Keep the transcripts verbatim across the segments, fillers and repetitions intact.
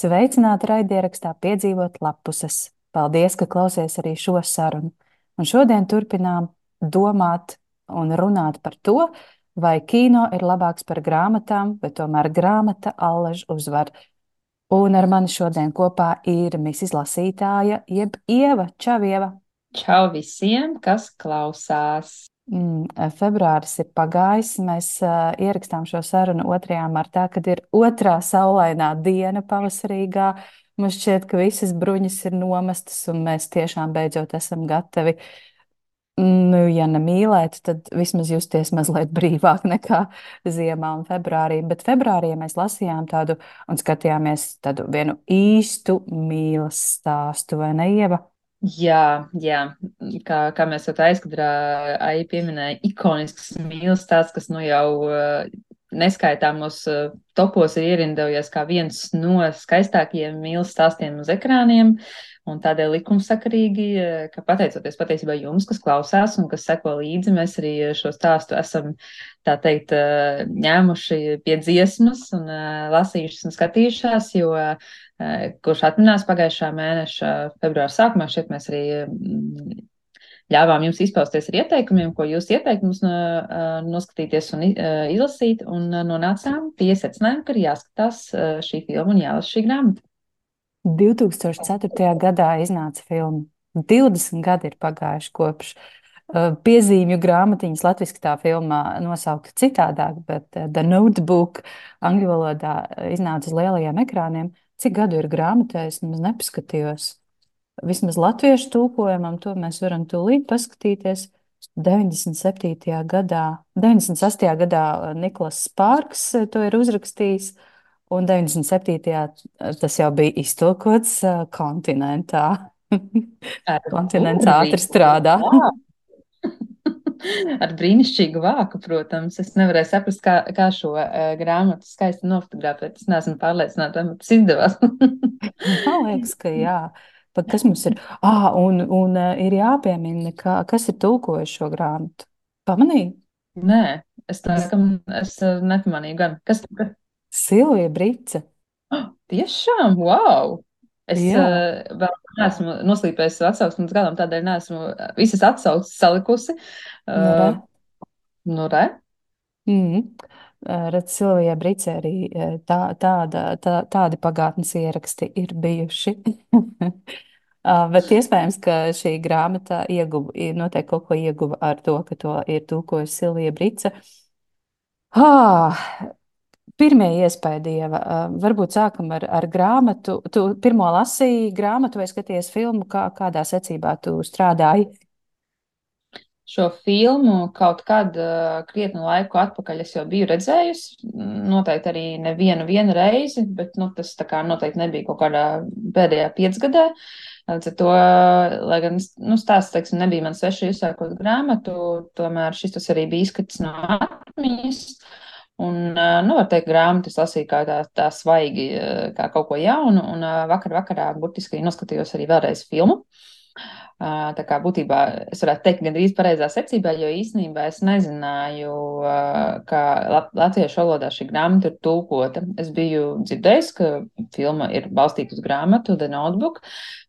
Sveicināti raidierakstā Piedzīvot lapuses. Paldies, ka klausies arī šo sarunu. Un šodien turpinām domāt un runāt par to, vai kino ir labāks par grāmatām, vai tomēr grāmata allaž uzvar. Un ar mani šodien kopā ir misis lasītāja, jeb Ieva. Čau, Ieva! Čau visiem, kas klausās! Mm, februāris ir pagājis. Mēs uh, ierakstām šo sarunu otrajā martā, kad ir otrā saulainā diena pavasarīgā. Man šķiet, ka visas bruņas ir nomestas, un mēs tiešām beidzot esam gatavi, nu, ja ne mīlēt, tad vismaz justies mazliet brīvāk nekā ziemā un februārī. Bet februārī mēs lasījām tādu un skatījāmies tādu vienu īstu mīlas stāstu, vai ne, Ieva? Jā, jā, kā, kā mēs jau tā aizkadrā arī pieminēja, ikonisks mīlas stāsts, kas nu jau uh, neskaitāmos uh, topos ir ierindojies kā viens no skaistākajiem mīlas stāstiem uz ekrāniem, un tādēļ likumsakarīgi, uh, ka pateicoties patiesībā jums, kas klausās un kas seko līdzi, mēs arī šo stāstu esam, tā teikt, uh, ņēmuši pie dziesmas un uh, lasījušas un skatījušās, jo uh, kurš atminās pagājušā mēneša februāra sākumā, šeit mēs arī mm, ļāvām jums izpausties ar ieteikumiem, ko jūs ieteikt mums no, noskatīties un izlasīt, un nonācām pie secinājuma, ka ir jāskatās šī filma un jālasa šī grāmata. divi tūkstoši ceturtajā gadā iznāca filma. divdesmit gadi ir pagājuši kopš uh, piezīmju grāmatiņas. Latviski tā filmā nosaukta citādāk, bet uh, The Notebook angļu valodā iznāca uz lielajiem ekrāniem. Cik gadu ir grāmatā, es nemaz nepaskatījos. Vismaz latviešu tulkojumam to mēs varam tūlīt paskatīties. deviņdesmit septītajā gadā, deviņdesmit sastajā gadā Niklas Spārks to ir uzrakstījis, un deviņdesmit septītajā tas jau bija iztulkots uh, kontinentā. Ar Kontinents ātri burvīgu strādā. vāku. Ar brīnišķīgu vāku, protams. Es nevarēju saprast, kā, kā šo uh, grāmatu skaisti nofotografēt. Es neesmu pārliecināta, vai man tas izdevās. Man liekas, ka jā. Pat kas mums ir? Ah, un, un uh, ir jāpiemina, ka, kas ir tulkojis šo grāmatu. Pamanīji? Nē, es tā kā es uh, nepamanīju gan. Kas, kas? Silvija Brice. Oh, tiešām, wow! Es Jā, uh, vēl neesmu noslīpējis savu atsauksmi līdz galam, tādēļ neesmu visas atsauksmes salikusi. nu re. Uh, nu, re. Mm. Redz, Silvijai Bricē arī tā, tāda, tā, tādi pagātnes ieraksti ir bijuši. Uh, Bet iespējams, ka šī grāmata ieguva, noteikti kaut ko ieguva ar to, ka to ir tulkojusi Silvija Brice. Ah, pirmie iespaidi, Ieva, uh, varbūt sākam ar, ar grāmatu. Tu pirmo lasīji grāmatu vai skaties filmu, kā, kādā secībā tu strādāji? Šo filmu kaut kad uh, krietnu laiku atpakaļ es jau biju redzējusi. Noteikti arī nevienu vienu reizi, bet nu, tas tā kā noteikti nebija kaut kādā pēdējā piecgadē. Līdz ar to, lai gan nu, stāsts, teiksim, nebija man sveši uzsākot grāmatu, tomēr šis tas arī bija izskats no atmiņas. Un, uh, nu, var teikt, grāmatu es lasīju kā tā, tā svaigi, uh, kā kaut ko jaunu, un uh, vakar vakarā burtiski noskatījos arī vēlreiz filmu. Uh, Tā kā būtībā es varētu teikt, gandrīz pareizā secībā, jo īstenībā es nezināju, uh, ka lat latviešu valodā šī grāmata ir tulkota. Es biju dzirdējis, ka filma ir balstīta uz grāmatu The Notebook,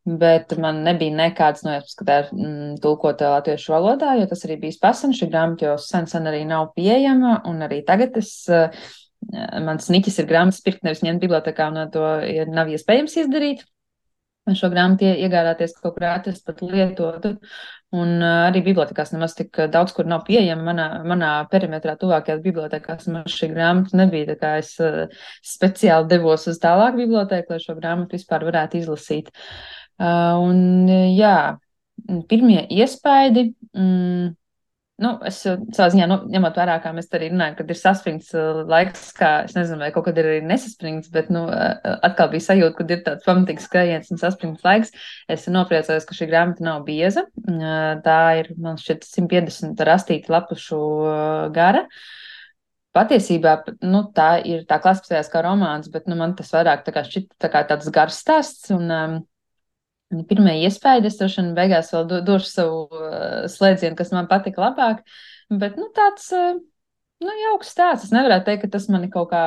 bet man nebija nekāds nojausmas, ka tā ir mm, tulkota latviešu valodā, jo tas arī bijis pasen. Šī grāmata jau sen, sen arī nav pieejama, un arī tagad es, uh, mans niķis ir grāmatas pirkt, nevis ņemt bibliotekā, un to ir, nav iespējams izdarīt. Šo grāmatu iegādāties kaut kur atrast pat lietotu. Un uh, arī bibliotekās nemaz tik daudz, kur nav pieejama. Manā, manā perimetrā tuvākajās bibliotekās man šī grāmata nebija. Tā kā es uh, speciāli devos uz tālāku biblioteku, lai šo grāmatu vispār varētu izlasīt. Uh, un jā, pirmie iespaidi. Mm, Nu, es savā ziņā, nu, ņemot vērā, kā mēs arī runājam, kad ir saspringts laiks, kā, es nezinu, vai kaut kad ir arī nesaspringts, bet, nu, atkal bija sajūta, kad ir tāds pamatīgs skrējiens un saspringts laiks. Es nopriecājos, ka šī grāmata nav bieza. Tā ir, man šķiet, simt piecdesmit rastīta lapušu gara. Patiesībā, nu, tā ir, tā klasificējās kā romāns, bet, nu, man tas vairāk tā kā šķiet tā kā tāds gars stāsts, un, um, pirmie iespēja, es droši vien beigās vēl do, došu savu uh, slēdzienu, kas man patika labāk, bet, nu, tāds, uh, nu, jauks stāsts. Es nevarētu teikt, ka tas mani kaut kā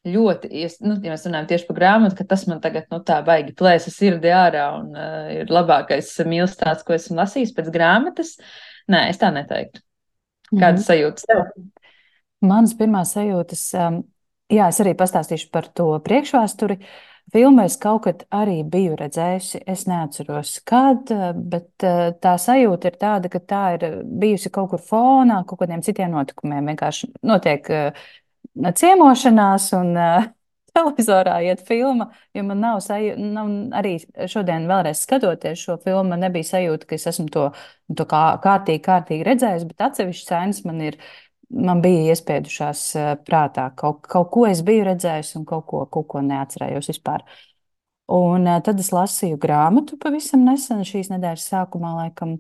ļoti, es, nu, ja mēs runājam tieši par grāmatu, ka tas man tagad, nu, tā baigi plēsa sirdi ārā un uh, ir labākais mīlestāsts, ko esmu lasījis pēc grāmatas. Nē, es tā neteiktu. Mhm. Kādas sajūtas tev? Manas pirmās sajūtas, um, jā, es arī pastāstīšu par to priekšvēsturi. Filmu es kaut kad arī biju redzējusi, es neatceros, kad, uh, bet uh, tā sajūta ir tāda, ka tā ir bijusi kaut kur fonā, kaut kādiem citiem notikumiem. Vienkārši notiek uh, ciemošanās un uh, televizorā iet filma, jo man nav sajūta, nav arī šodien vēlreiz skatoties šo filmu, man nebija sajūta, ka es esmu to, to kā kārtīgi, kārtīgi redzējis, bet atsevišķas sēnes man ir man bija iespiedušās eh, prātā. Kaut, kaut ko es biju redzējis un kaut ko, kaut ko neatcerējos vispār. Un eh, tad es lasīju grāmatu pavisam nesen, šīs nedēļas sākumā, laikam.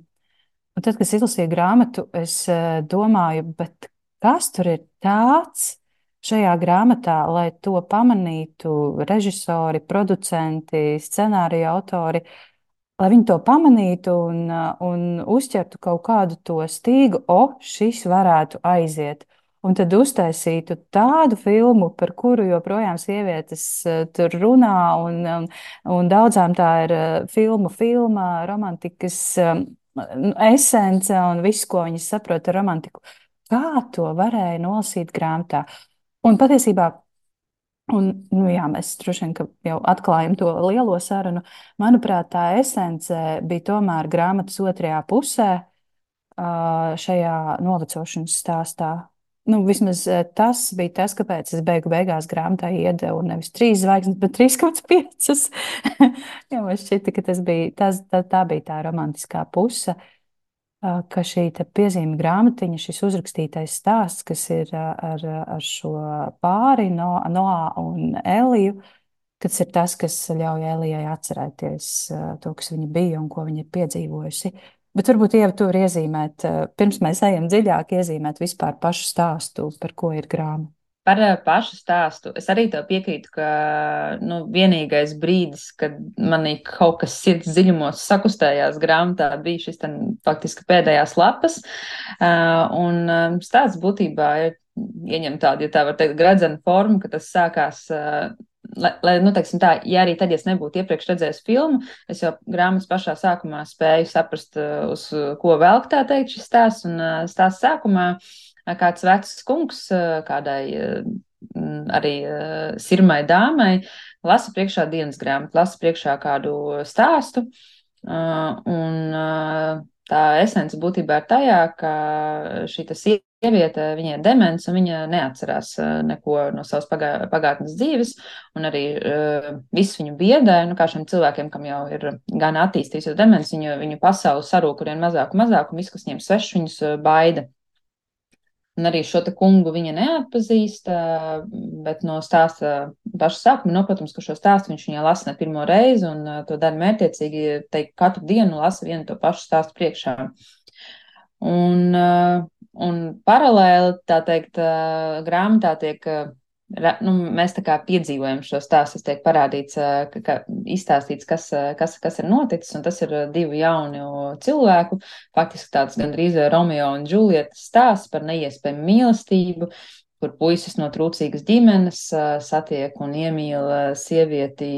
Un tad, kad es izlasīju grāmatu, es eh, domāju, bet kas tur ir tāds šajā grāmatā, lai to pamanītu režisori, producenti, scenārija autori, lai viņi to pamanītu un, uh, un uzķertu kaut kādu to stīgu, o, šis varētu aiziet. Un tad uztaisītu tādu filmu, par kuru joprojām sievietes uh, tur runā, un, un, un daudzām tā ir uh, filmu filma, romantikas um, esence un viss, ko viņas saprot ar romantiku. Kā to varēja nolasīt grāmatā? Un patiesībā Un, nu, jā, mēs droši vien jau atklājam to lielo sarunu. Manuprāt, tā esence bija tomēr grāmatas otrajā pusē, šajā novecošanas stāstā. Nu, vismaz tas bija tas, kāpēc es beigu beigās grāmatā iedevu nevis trīs zvaigznes, bet trīs komats piecas. Jo man šķita, ka tas bija, tas, tā, tā bija tā romantiskā puse, ka šī piezīme grāmatiņa, šis uzrakstītais stāsts, kas ir ar, ar šo pāri, no, Noā un Eliju, kas ir tas, kas ļauj Elijai atcerēties to, kas viņa bija un ko viņa ir piedzīvojusi. Bet varbūt, Ieva, tu vari iezīmēt, pirms mēs ejam dziļāk, iezīmēt vispār pašu stāstu, par ko ir grāmata. Par pašu stāstu. Es arī tev piekrītu, ka nu, vienīgais brīdis, kad manī kaut kas sirds dziļumos sakustējās grāmatā, bija šis ten, faktiski pēdējās lapas. Uh, un stāsts būtībā ir ieņem tādu, ja tā var teikt, gradzenu formu, ka tas sākās. Uh, Lai, lai, nu, teiksim tā, ja arī tad, ja es nebūtu iepriekš redzējis filmu, es jau grāmatas pašā sākumā spēju saprast, uz ko velk tā teikt šis stāsts, un stāsts sākumā kāds vecs kungs kādai arī sirmai dāmai lasa priekšā dienas grāmatu, lasa priekšā kādu stāstu, un tā esence būtībā ir tajā, ka šī sieviete, viņai ir demence, un viņa neatcerās neko no savas pagā, pagātnes dzīves, un arī uh, viss viņu biedē, nu kā šiem cilvēkiem, kam jau ir gan attīstījusies demence, viņu, viņu pasauli sarūk arvien mazāk un mazāk, un viss, kas viņiem svešs, viņus baida. Un arī šo te kungu viņa neatpazīst, bet no stāsta paša sākuma, no, protams, ka šo stāstu viņš viņai lasa ne pirmo reizi, un to dara mērķiecīgi, teikt, katru dienu lasa vienu to pašu stāstu priekšā. Un, un paralēli, tā teikt, grāmatā tiek, nu, mēs tā kā piedzīvojam šo stāstu, tas tiek parādīts, ka, ka izstāstīts, kas, kas, kas ir noticis, un tas ir divu jaunu cilvēku, faktiski tāds gandrīz Romeo un Džulietas stāsts par neiespējamu mīlestību, kur puisis no trūcīgas ģimenes satiek un iemīl sievieti,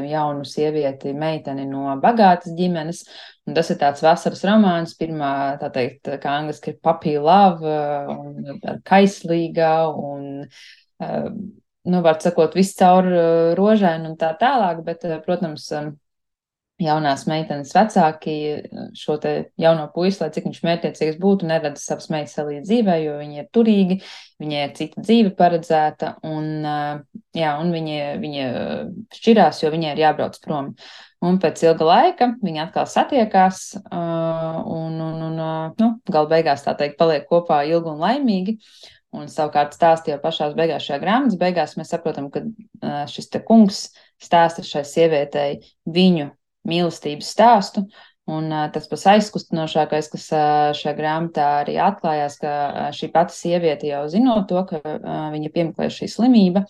jaunu sievieti, meiteni no bagātas ģimenes. Un tas ir tāds vasaras romāns, pirmā, tā teikt, kā angliski ir puppy love, un kaislīgā, un, nu, var sakot, viss caur rožaini un tā tālāk, bet, protams, jaunās meitenes vecāki šo te jauno puisi, lai cik viņš mērķiecīgs būtu, neredz savas meitas arī dzīvē, jo viņi ir turīgi, viņai ir cita dzīve paredzēta, un, jā, un viņi, viņi šķirās, jo viņai ir jābrauc prom. Un pēc ilga laika viņi atkal satiekās, un, un, un nu, gal beigās, tā teikt, paliek kopā ilgi un laimīgi. Un savukārt stāstīja pašās beigās šajā grāmatas beigās, mēs saprotam, ka šis te kungs stāsta šai sievietei viņu mīlestības stāstu, un tas pats aizkustinošākais, kas šajā grāmatā arī atklājās, ka šī pati sieviete jau zinot to, ka viņa piemeklē šī slimība,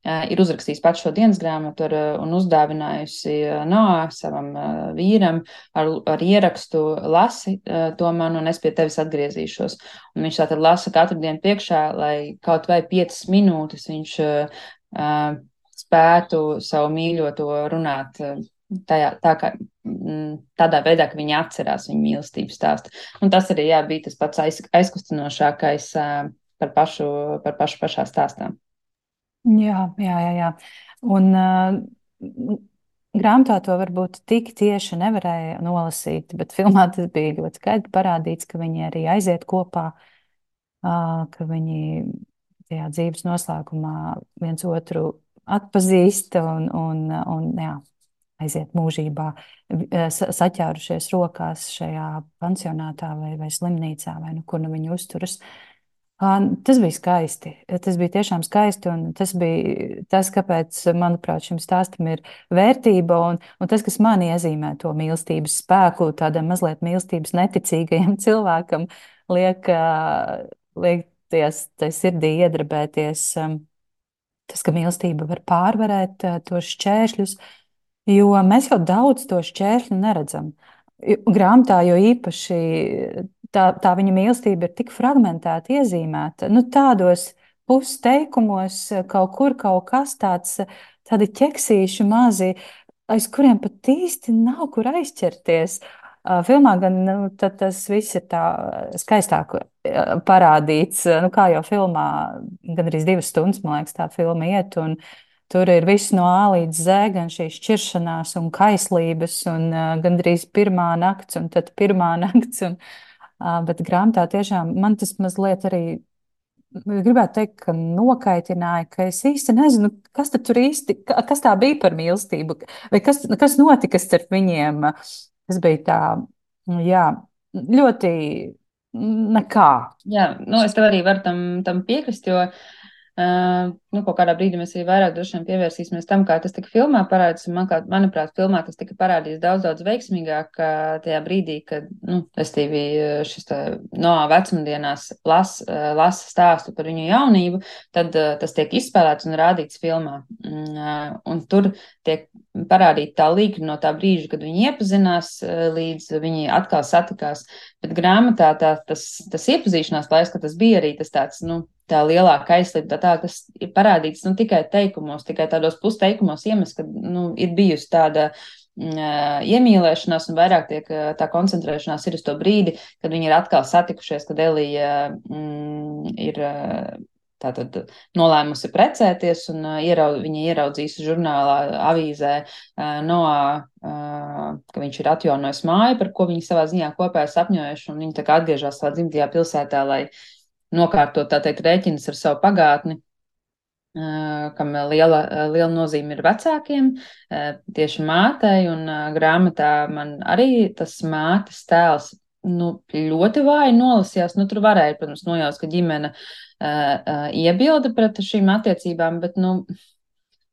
ir uzrakstījis pats šo dienas grāmatu ar, un uzdāvinājusi Noā savam vīram ar, ar ierakstu lasi to man, un es pie tevis atgriezīšos. Un viņš tātad lasa katru dienu priekšā, lai kaut vai piecas minūtes viņš uh, spētu savu mīļoto runāt uh, tajā, tā kā, mm, tādā veidā, ka viņi atcerās viņu mīlestības stāstu. Un tas arī, jā, bija tas pats aiz, aizkustinošākais uh, par pašu, par pašu pašā stāstā. Jā, jā, jā. jā. Un uh, grāmatā to varbūt tik tieši nevarēja nolasīt, bet filmā tas bija ļoti skaidri parādīts, ka viņi arī aiziet kopā, uh, ka viņi tajā dzīves noslēgumā viens otru atpazīst un, un, un jā, aiziet mūžībā, eh, sa- saķērušies rokās šajā pansionātā vai, vai slimnīcā, vai nu kur nu viņi uzturas. Ā, Tas bija skaisti. Tas bija tiešām skaisti, un tas bija tas, kāpēc, manuprāt, šim stāstam ir vērtība, un, un tas, kas man iezīmē to mīlestības spēku, tādam mazliet mīlestības neticīgajam cilvēkam, liek, ā, liek ties, tai sirdī iedarbēties, um, tas, ka mīlestība var pārvarēt ā, tos šķēršļus, jo mēs jau daudz to šķēršļu neredzam. Grāmatā jo īpaši tā, tā viņa mīlestība ir tik fragmentēta, iezīmēta. Nu, tādos pusteikumos kaut kur kaut kas tāds, tādi ķeksīši mazi, aiz kuriem pat īsti nav kur aizķerties. Ā, Filmā gan nu, tad tas viss ir tā skaistāk ā, parādīts. Nu, kā jau filmā, gan arī divas stundas, man liekas, tā filma iet. Un, tur ir viss no A līdz Z, gan šīs šķiršanās un kaislības, un uh, gandrīz pirmā nakts, un tad pirmā nakts. Un, uh, bet grāmatā tiešām man tas mazliet arī gribētu teikt, ka nokaitināja, ka es īsti nezinu, kas tad tur īsti, ka- kas tā bija par mīlestību, vai kas, kas notika starp viņiem. Tas bija tā, jā, ļoti nekā. Jā, nu, es tev arī varu tam, tam piekrist, jo uh, nu, kaut kādā brīdī mēs arī vairāk droši vien pievērsīsimies tam, kā tas tika filmā parādīts. Man, kā, manuprāt, filmā tas tika parādīts daudz, daudz veiksmīgāk uh, tajā brīdī, kad, nu, restīvi šis tā, no vecumdienās las, uh, lasa stāstu par viņu jaunību, tad uh, tas tiek izspēlēts un rādīts filmā. Uh, un tur tiek parādīta tā līkne no tā brīža, kad viņi iepazinās, uh, līdz viņi atkal satikās. Bet grāmatā tā, tas, tas iepazīšanās laiks, ka tas bija arī tas tāds, nu, tā lielāka aizslība, tā, tā tas ir parādīts, nu, tikai teikumos, tikai tādos pusteikumos iemest, ka, nu, ir bijusi tāda mm, iemīlēšanās un vairāk tiek tā koncentrēšanās ir uz to brīdi, kad viņi ir atkal satikušies, kad Elija mm, ir tātad nolēmusi precēties, un uh, ieraud, viņa ieraudzīs žurnālā, avīzē uh, Noā, uh, ka viņš ir atjaunojis māju, par ko viņi savā ziņā kopā ir sapņojuši, un viņi tā kā atgriežas savā dzimtajā pilsētā, lai nokārtot, tā teikt, rēķinas ar savu pagātni, uh, kam liela, liela nozīme ir vecākiem, uh, tieši mātei, un uh, grāmatā man arī tas mātes tēls nu, ļoti vāji nolasījās. Nu, tur varēja, protams, nojaust, ka ģimene uh, uh, iebilda pret šīm attiecībām, bet, nu,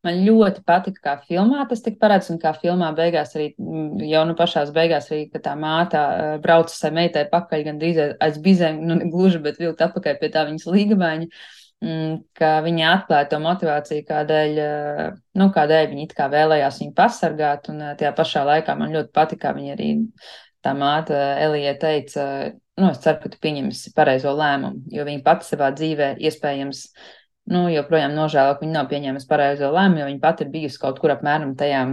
man ļoti patika, kā filmā tas tika parādīts, un kā filmā beigās arī, jau nu pašās beigās arī, ka tā māte uh, brauca sai meitai pakaļ, gan drīz aiz bizēm, nu, ne gluži, bet vilkt atpakaļ pie tā viņas līgavaņa, mm, ka viņa atklāja to motivāciju, kādēļ, uh, nu, kādēļ viņa it kā vēlējās viņu pasargāt, un uh, tajā pašā laikā man ļoti patika, kā viņa arī tā māte Elija teica, nu, es ceru, ka tu pieņemsi pareizo lēmumu, jo viņa pati savā dzīvē iespējams, nu, joprojām nožēlo, ka viņa nav pieņēmusi pareizo lēmumu, jo viņa pati ir bijusi kaut kur apmēram tajā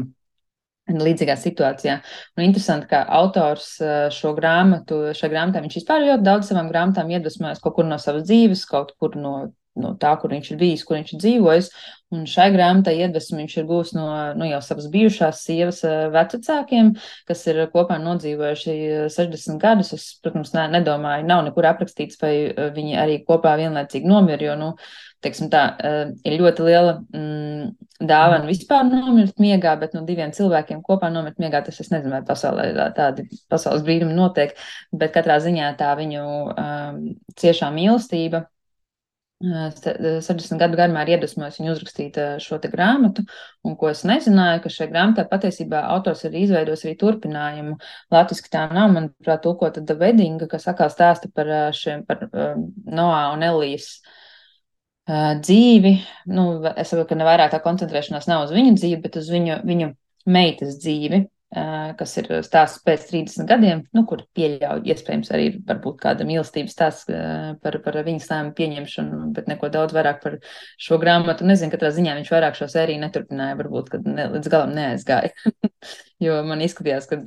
līdzīgā situācijā. Un interesanti, ka autors šo grāmatu, šajā grāmatā viņš vispār ļoti daudz savām grāmatām iedvesmojas kaut kur no savas dzīves, kaut kur no, no tā, kur viņš ir bijis, kur viņš ir dzīvojis. Un šai grāmatai iedvesmu viņš ir gūs no, nu, jau savas bijušās sievas vecākiem, kas ir kopā nodzīvojuši sešdesmit gadus. Es, protams, ne, nedomāju, nav nekur aprakstīts, vai viņi arī kopā vienlaicīgi nomira, jo, nu, teiksim tā, ir ļoti liela mm, dāvana vispār nomirt miegā, bet no diviem cilvēkiem kopā nomirt miegā, tas es nezinu, vai pasaulē tādi pasaules brīnumi notiek, bet katrā ziņā tā viņu um, ciešā mīlestība sešdesmit gadu garumā ir iedvesmojis viņu uzrakstīt šo te grāmatu, un ko es nezināju, ka šajā grāmatā patiesībā autors ir izveidojis arī turpinājumu. Latviski tā nav, manuprāt, tulkota The Wedding, kas atkal stāsta par šiem, par um, Noā un Elijas uh, dzīvi. Nu, es saprotu, ka ne vairāk tā koncentrēšanās nav uz viņu dzīvi, bet uz viņu, viņu meitas dzīvi. kas ir stāsts pēc trīsdesmit gadiem, nu, kur pieļauj, iespējams, arī varbūt kāda mīlestības stāsts par, par viņas lēmumu pieņemšanu, bet neko daudz vairāk par šo grāmatu. Nezinu, katrā ziņā viņš vairāk šo sēriju neturpināja, varbūt, kad ne, līdz galam neaizgāja, jo man izskatījās, ka,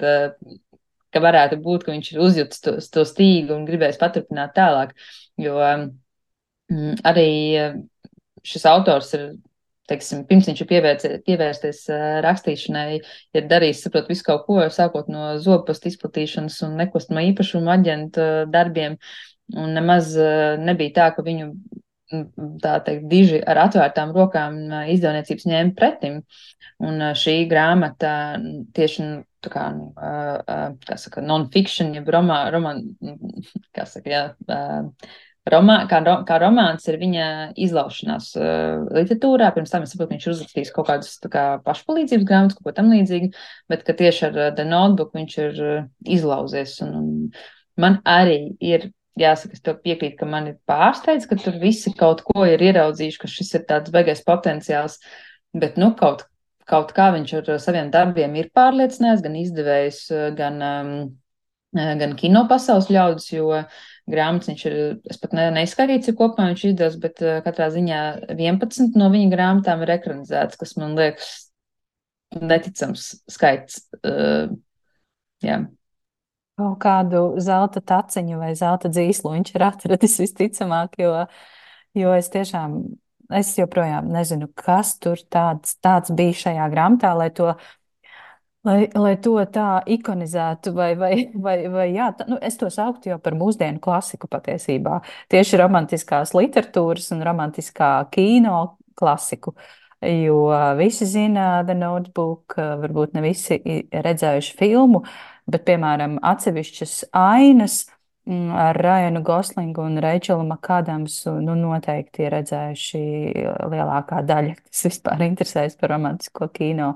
ka varētu būt, ka viņš ir uzjutis to, to stīgu un gribējis paturpināt tālāk, jo mm, arī šis autors ir, teiksim, pirms viņš ir pievērts, pievērsties rakstīšanai, ir darījis, saprot, visu kaut ko, sākot no zobpastu izplatīšanas un nekustamā īpašuma aģenta darbiem, un nemaz nebija tā, ka viņu, tā teikt, diži ar atvērtām rokām izdevniecības ņēma pretim, un šī grāmata tieši, tā kā, nu, kā saka, non-fiction, jeb romā, romā, kā saka, jā, Romā, kā, kā romāns ir viņa izlaušanās uh, literatūrā. Pirms tam es saprotu, ka viņš ir uzrakstījis kaut kādus kā, pašpalīdzības grāmatas, kaut ko tam līdzīgu, bet ka tieši ar uh, The Notebook viņš ir uh, izlauzies. Un, un man arī ir, jāsaka, es tev piekrītu, ka man ir pārsteidz, ka tur visi kaut ko ir ieraudzījuši, ka šis ir tāds beigais potenciāls, bet nu kaut, kaut kā viņš ar saviem darbiem ir pārliecinājis, gan izdevējs, gan, um, gan kino pasaules ļaudis, jo grāmatas viņš ir, es pat ne, neizskatīju, cik kopumā viņš izdevusi, bet uh, katrā ziņā vienpadsmit no viņa grāmatām ir ekranizētas, kas man liekas neticams skaits. Uh, jā. Kaut kādu zelta taciņu vai zelta dzīslu viņš ir atradis visticamāk, jo, jo es tiešām, es joprojām nezinu, kas tur tāds, tāds bija šajā grāmatā, lai to Lai, lai to tā ikonizētu, vai, vai, vai, vai jā, tā, nu, es to sauktu jau par mūsdienu klasiku patiesībā. Tieši romantiskās literatūras un romantiskā kino klasiku. Jo visi zina The Notebook, varbūt ne visi ir redzējuši filmu, bet, piemēram, atsevišķas ainas ar Ryanu Goslingu un Reičelu Makādamsu, nu, noteikti ir redzējuši lielākā daļa, kas vispār interesējas par romantisko kino.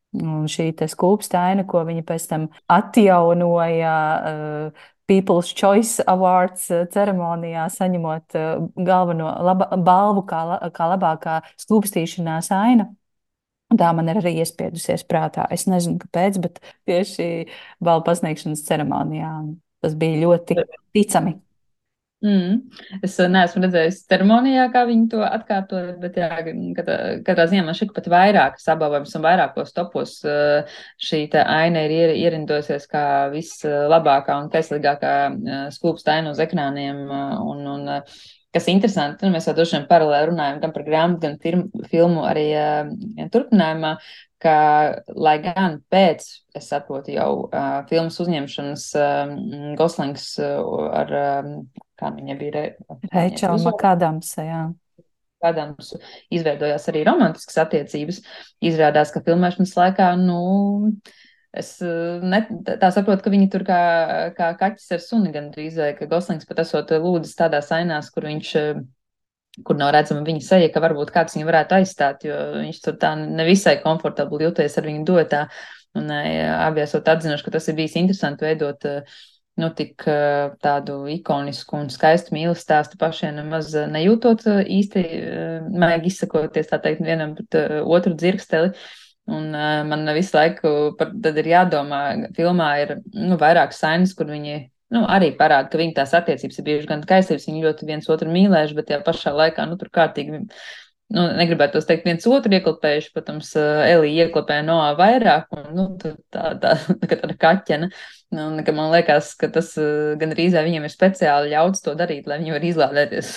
Un šī skulpstaina, ko viņi pēc tam atjaunoja uh, People's Choice Awards ceremonijā, saņemot uh, galveno laba, balvu kā, kā labākā skulpstīšanās aina. Tā man ir arī iespiedusies prātā. Es nezinu, kāpēc, bet tieši balvu pasniegšanas ceremonijā tas bija ļoti ticami. Mm. Es neesmu redzējis ceremonijā, kā viņi to atkārtoja, bet jā, katrā, katrā ziņā man šķiet pat vairākas apbalvojums un vairākos topos šī aina ir ierindojusies kā vislabākā un kaislīgākā skūpsta aina uz ekrāniem. Un, un, kas interesanti, nu, mēs jau droši vien paralēli runājam gan par grāmatu, gan firmu, filmu arī ja, turpinājumā, ka, lai gan pēc, es saprotu, jau uh, filmas uzņemšanas uh, Goslings uh, ar, uh, kā viņa bija, Reičela Makādamsa, jā. Kādams izveidojās arī romantiskas attiecības, izrādās, ka filmēšanas laikā, nu, es ne, tā saprotu, ka viņi tur kā, kā kaķis ar suni gandrīz, vai ka Goslings pat esot lūdzis tādās ainās, kur viņš kur nav redzama viņa seja, ka varbūt kāds viņu varētu aizstāt, jo viņš tur tā nevisai komfortabli jūties ar viņu dotā. Un abi esot atzinuši, ka tas ir bijis interesanti veidot nu, tik tādu ikonisku un skaistu mīlas stāstu pašiem nemaz nejūtot īsti, maigi izsakoties, tā teikt, vienam pret otru dzirksteli. Un uh, man visu laiku par, tad ir jādomā, filmā ir nu, vairāk sainas, kur viņi nu, arī parāda, ka viņi tās attiecības ir bijušas gan kaislības, viņi ļoti viens otru mīlējuši, bet tajā pašā laikā, nu, tur kārtīgi, nu, negribētu tos teikt, viens otru ieklapējuši, protams, Elija ieklapēja Noā vairāk, un, nu, tā, tā, tā, tāda kaķena. Un, ka man liekas, ka tas gan rīzē viņiem ir speciāli ļauts to darīt, lai viņi var izlādēties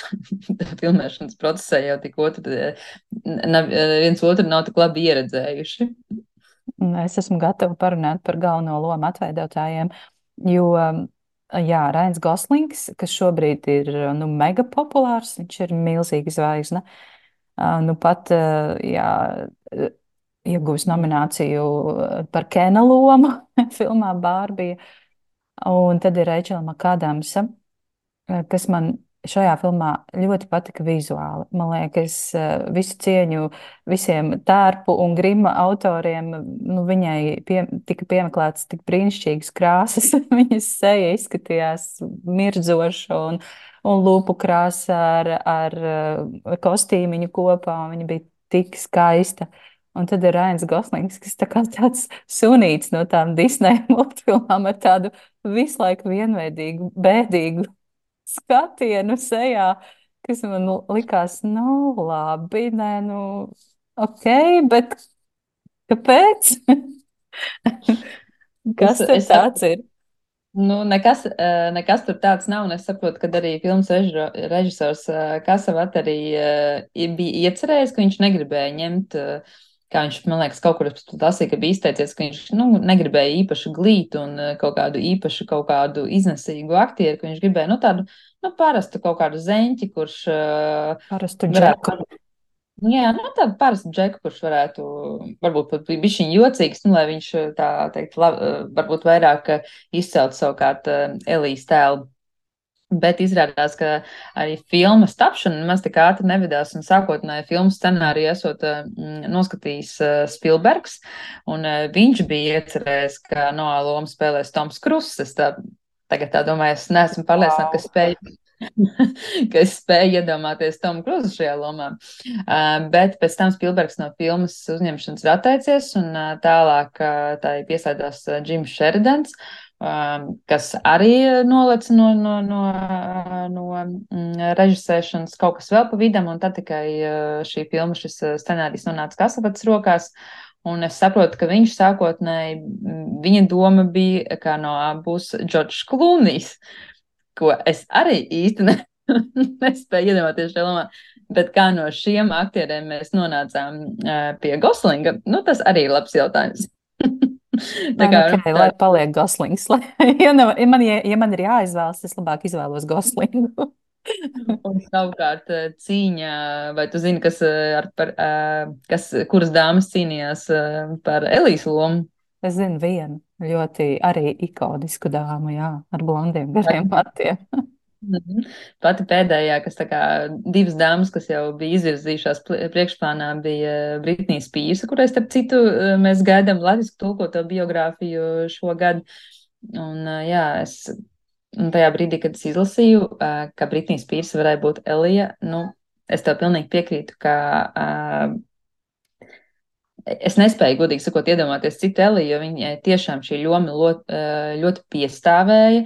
filmēšanas procesā jau tik otru, nav, viens otru nav tik labi ieredzējuši. Es esmu gatava parunāt par galveno lomu atveidotājiem, jo, jā, Rains Goslings, kas šobrīd ir, nu, mega populārs, viņš ir milzīga zvaigzne, nu, pat, jā, ieguvis nomināciju par Kena lomu filmā Bārbija. Un tad ir Reičela Makādamsa, kas man šajā filmā ļoti patika vizuāli. Man liekas, visu cieņu visiem tērpu un grima autoriem, nu, viņai pie, tika piemeklētas tik brīnišķīgas krāsas. Viņas seja izskatījās mirdzoša un, un lūpu krāsa ar, ar kostīmiņu kopā, un viņa bija tik skaista. Un tad ir Rains Goslings, kas tā kā tāds sunīts no tām Disneja multfilmām ar tādu visu laiku vienveidīgu, bēdīgu skatienu sejā, kas man likās, nu, labi, nē, nu, ok, bet kāpēc? Es, Kas tur es tāds ir? Nu, nekas, eh, nekas tur tāds nav, un es saprotu, ka arī filmas režiro- režisors eh, Kasavat arī eh, i- bija iecerējis, ka viņš negribēja ņemt, eh, kā viņš, man liekas, kaut kur lasīja, ka bija izteicies, ka viņš, nu, negribēja īpaši glītu un eh, kaut kādu īpašu, kaut kādu iznesīgu aktieru, ka viņš gribēja, nu, tādu, nu, parastu kaut kādu zeņķi, kurš uh, Parastu džeku. varētu. Jā, nu tādu parastu džeku, kurš varētu varbūt pat bišķiņ jocīgs, nu, lai viņš tā teikt, lab, varbūt vairāk izcelt savukārt Elijas tēlu. Bet izrādās, ka arī filmas tapšana maz tik ātri nevedās, un sākotnēji filmu scenāriju esot mm, noskatījis uh, Spilbergs, un uh, viņš bija iecerējis, ka Noā lomu spēlēs Toms Kruss. Es tā, tagad tā domāju, es neesmu pārliecināta, ka Wow. spēju ka es spēju iedomāties Tomu Kruzu šajā lomā. Uh, bet pēc tam Spilbergs no filmas uzņemšanas ir atteicies, un uh, tālāk uh, tā ir piesaistās uh, Džims Šeridans, uh, kas arī nolec no, no, no, uh, no mm, režisēšanas kaut kas vēl pa vidam, un tad tikai uh, šī filma, šis uh, scenārijs nonāca Kasavats rokās. Un es saprotu, ka viņš sākotnēji, viņa doma bija, ka no būs Džordžs Klūnijs, ko es arī īsti ne, nespēju iedomāties šajā lomā. Bet kā no šiem aktieriem mēs nonācām uh, pie Goslinga, nu tas arī ir labs jautājums. Nē, Tā nu, kā, ok, tā, lai paliek Goslings. Lai, ja, ne, ja, man, ja, ja man ir jāizvēlas, es labāk izvēlos Goslingu. un savukārt uh, cīņā, vai tu zini, kas, uh, ar, par, uh, kas, kuras dāmas cīnījās uh, par Elijas lomu? Es zinu vienu ļoti arī ikonisku dāmu, jā, ar blondiem gariem matiem. Mhm. Pati pēdējā, kas tā kā divas dāmas, kas jau bija izvirzījušās pl- priekšplānā, bija Britnija Spīrsa, kurai, starp citu, eh, mēs gaidām latviešu tulkoto biogrāfiju šogad. Un, eh, jā, es un tajā brīdī, kad es izlasīju, eh, ka Britnija Spīrsa varēja būt Elija, nu, es tev pilnīgi piekrītu, ka uh, es nespēju, godīgi sakot, iedomāties citu Eliju, jo viņai tiešām šī loma ļoti, ļoti piestāvēja.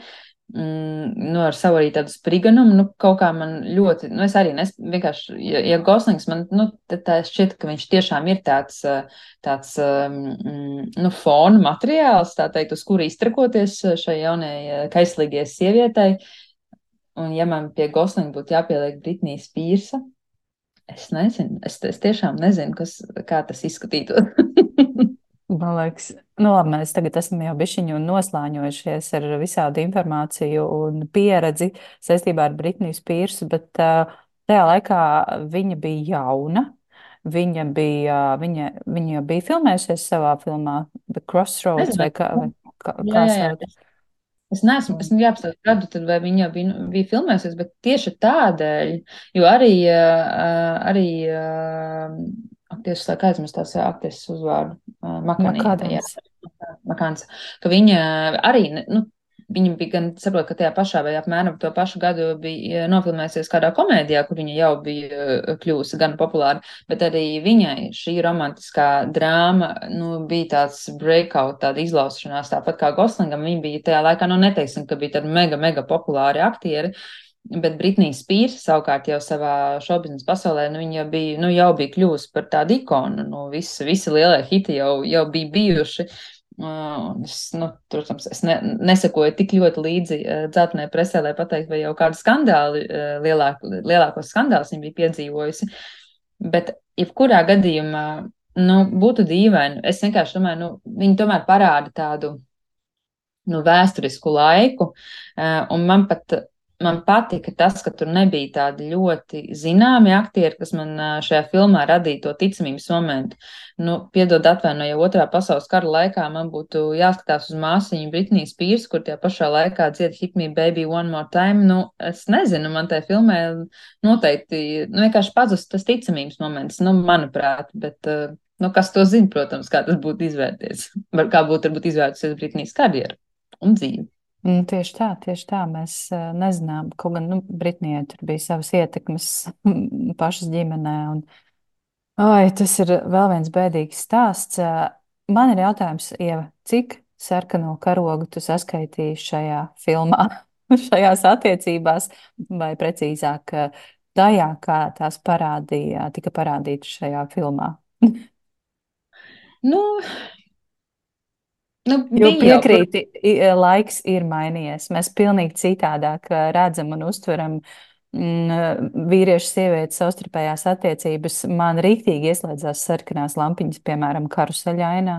Mm, nu, ar savu arī tādu spriganumu, nu, kaut kā man ļoti, nu, es arī nes, vienkārši, ja, ja Goslings man, nu, tad tā šķiet, ka viņš tiešām ir tāds, tāds, mm, nu, fona materiāls, tā teikt, uz kuru iztrakoties šai jaunai kaislīgajai sievietei. Un ja man pie Goslinga būtu jāpieliek Britnija Spīrsa, es nezinu, es, es tiešām nezinu, kas, kā tas izskatītos. Man liekas, nu labi, mēs tagad esam jau bišķiņu noslāņojušies ar visādu informāciju un pieredzi saistībā ar Britniju Spīrsu, bet uh, tajā laikā viņa bija jauna. Viņa bija, viņa, viņa jau bija filmējusies savā filmā The Crossroads Nezinu, vai kā, vai kā, jā, kā jā, jā. sauc. Es, es neesmu, es Un jāapstāsta gadu, tad vai viņa bija, nu, bija filmējusies, bet tieši tādēļ, jo arī, uh, arī, uh, ak, tieši tā kā aizmirst tās aktieses uzvārdu, uh, Makonī, jā, Makādams. Makāns, ka viņa arī, ne- nu, viņa bija gan, saprot, ka tajā pašā vai apmēram to pašu gadu bija nofilmējusies kādā komēdijā, kur viņa jau bija uh, kļuvusi gan populāra, bet arī viņai šī romantiskā drāma, nu, bija tāds breakout, tāda izlaušanās, tāpat kā Goslingam, viņa bija tajā laikā, nu, neteiksim, ka bija tādi mega, mega populāri aktieri, bet Britnija Spīrsa savukārt jau savā šobiznesa pasaulē, nu, viņa jau bija, nu, jau bija kļuvusi par tādu ikonu, nu, visi, visi lielie hiti jau, jau bija bijuši. Uh, es, nu, protams, es ne, nesakoju tik ļoti līdzi uh, dzeltenē presē, lai pateiktu, vai jau kādu skandāli, uh, lielāku, lielākos skandālus viņa bija piedzīvojusi. Bet, jebkurā gadījumā, nu, būtu dīvaini. Es vienkārši domāju, nu, viņi tomēr parāda tādu, nu, vēsturisku laiku, uh, un man pat man patika tas, ka tur nebija tādi ļoti zināmi aktieri, kas man uh, šajā filmā radīja to ticamības momentu. Nu, piedod atvainoju, ja otrā pasaules kara laikā man būtu jāskatās uz māsiņu Britniju Spīrsu, kur tajā pašā laikā dzied Hit Me Baby One More Time, nu, es nezinu, man tajā filmē noteikti, nu, vienkārši pazust tas ticamības moments, nu, manuprāt, bet, uh, nu, kas to zina, protams, kā tas būtu izvērties, kā būtu varbūt izvērtusies Britnijas karjera un dzīve. Mm, tieši tā, tieši tā. Mēs uh, nezinām, kaut gan, nu, Britnijai tur bija savas ietekmes pašas ģimenē. Un Oi, tas ir vēl viens bēdīgs stāsts. Ā, Man ir jautājums, Ieva, cik sarkano karogu tu saskaitīji šajā filmā, šajās attiecībās, vai precīzāk, ā, tajā, kā tās parādīja, tika parādītas šajā filmā? Nu, nu Jo bija jau, piekrīti, i- laiks ir mainījies. Mēs pilnīgi citādāk ā, redzam un uztveram mm, vīriešu sievietes savstarpējās attiecības. Man rīktīgi ieslēdzās sarkanās lampiņas, piemēram, karuseļainā.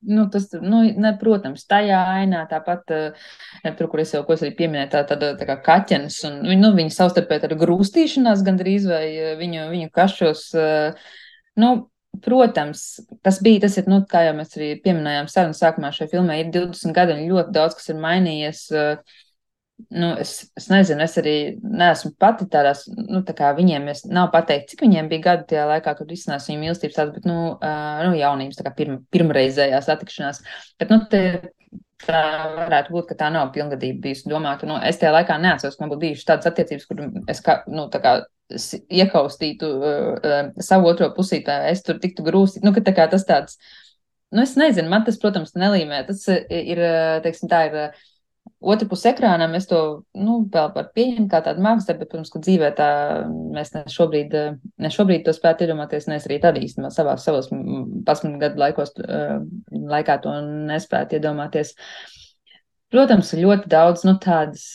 nu, tas, nu, ne, protams, tajā ainā tāpat, uh, tur, kur es jau, ko es arī pieminēju, tā, tāda, tā kā kaķenes, un, nu, viņi savstarpēji tāda grūstīšanās gandrīz, vai uh, viņu, viņu kašos, uh, nu, protams, tas bija, tas ir, nu, kā jau mēs arī pieminējām sarunas sākumā šai filmai, ir divdesmit gadi un ļoti daudz, kas ir mainījies. Uh, Nu, es, es nezinu, es arī neesmu pati tādās, nu, tā kā viņiem es nav pateikt, cik viņiem bija gadi tajā laikā, kad izcinās viņu mīlestības tāds, bet, nu, uh, nu jaunības, tā kā pirma, pirmreizējā satikšanās. Bet, nu, te, tā varētu būt, ka tā nav pilngadība bijusi domāta. Nu, es tajā laikā neatceros, ka man būtu bijušas tādas attiecības, kur es, kā, nu, tā kā s- iekaustītu uh, uh, savu otro pusīti, vai es tur tiktu grūstīt. Nu, ka tā kā tas tāds, nu, es nezinu, man tas, protams, nelīmē. Tas uh, ir, uh, teiksim, tā ir. Uh, Otra puse ekrānam es to, nu, vēl varu pieņemt kā tādu mākslu, bet, protams, ka dzīvē tā mēs ne šobrīd, eh, ne šobrīd to spētu iedomāties, ne es arī tad īstenībā savā, savos pasminu gadu laikos, eh, laikā to nespētu iedomāties. Protams, ir ļoti daudz, nu, tādas,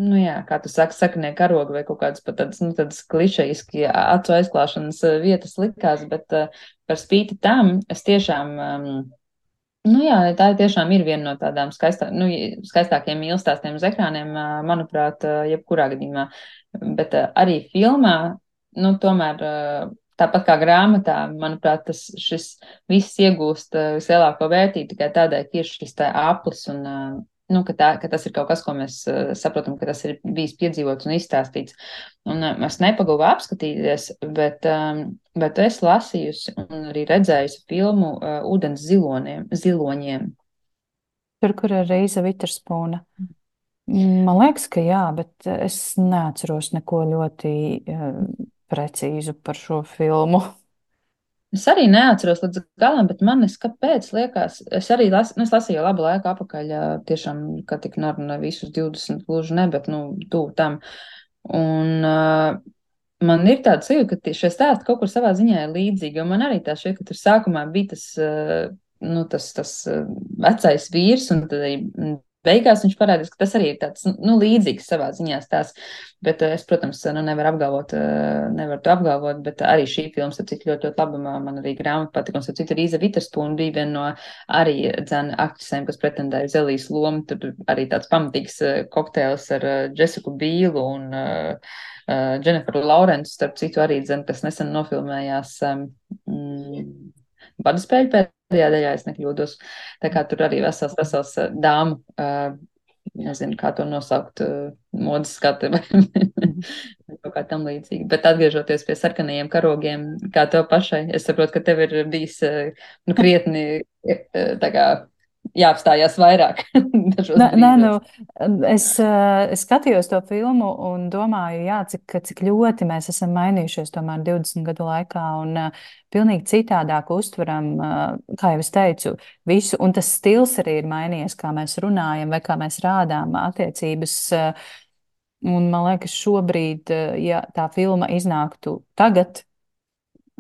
nu, jā, kā tu saki, saknie karogi vai kaut kādas pat tādas, nu, tādas klišejiski acu aizklāšanas eh, vietas likās, bet uh, par spīti tam es tiešām, um, Nu jā, tā tiešām ir viena no tādām skaistā, nu, skaistākiem mīlestāstiem uz ekrāniem, ā, manuprāt, ā, jebkurā gadījumā. Bet ā, arī filmā, nu, tomēr ā, tāpat kā grāmatā, manuprāt, tas šis viss iegūst ā, vislielāko vērtību tikai tādēļ, ka ir šis tā aplis un, ā, nu, ka, tā, ka tas ir kaut kas, ko mēs ā, saprotam, ka tas ir bijis piedzīvots un izstāstīts. Un ā, es nepagūvu apskatīties, bet, ā, bet es lasījusi un arī redzējusi filmu uh, Ūdens ziloniem, ziloņiem. Tur, kur ir Reiza Viterspūna. Man liekas, ka jā, bet es neatceros neko ļoti eh, precīzu par šo filmu. Es arī neatceros līdz galam, bet man es kāpēc liekas, es arī las, nu, es lasīju jau labu laiku apakaļ, ā, tiešām, ka tik norunā visus divdesmit gluži ne, bet, nu, tuvu tam. Un uh, man ir tāds sajūta, ka tie- šie stāsti kaut kur savā ziņā ir līdzīgi, jo man arī tā šķiet, ka tur sākumā bija tas, uh, nu, tas, tas uh, vecais vīrs, un tad arī mm, beigās viņš parādīs, ka tas arī ir tāds, nu, līdzīgs savā ziņā stāsts. Bet uh, es, protams, nu, nevaru apgalvot, uh, nevaru to apgalvot, bet arī šī filma, starp citu, ļoti, ļoti laba. Man arī grāmata patika, un, starp citu, Rīza Viterspūna bija viena no arī dzēna aktrisēm, kas pretendēja uz Elijas lomu. Tur arī tāds pamatīgs uh, kokteils ar uh, Jessiku Bīlu un uh, uh, Jenniferu Lawrence, starp citu, arī dzēna, kas nesen nofilmējās um, mm, Badu spēļu pēdējā daļā, es nekļūdos. Tā kā tur arī vesels, vesels uh, dāmu. Uh, Nezinu, kā to nosaukt, uh, modes skati vai Mhm. kaut kā tam līdzīga. Bet atgriežoties pie sarkanajiem karogiem, kā tev pašai, es saprotu, ka tev ir bijis, uh, nu, krietni, uh, tā kā jāapstājās vairāk dažos Nē, nē, nu, brīžos. es, eh, es skatījos to filmu un domāju, jā, cik, cik ļoti mēs esam mainījušies tomēr divdesmit gadu laikā un uh, pilnīgi citādāk uztveram, uh, kā jau es teicu, visu. Un tas stils arī ir mainījies, kā mēs runājam vai kā mēs rādām attiecības. Uh, un man liekas, šobrīd, uh, ja tā filma iznāktu tagad,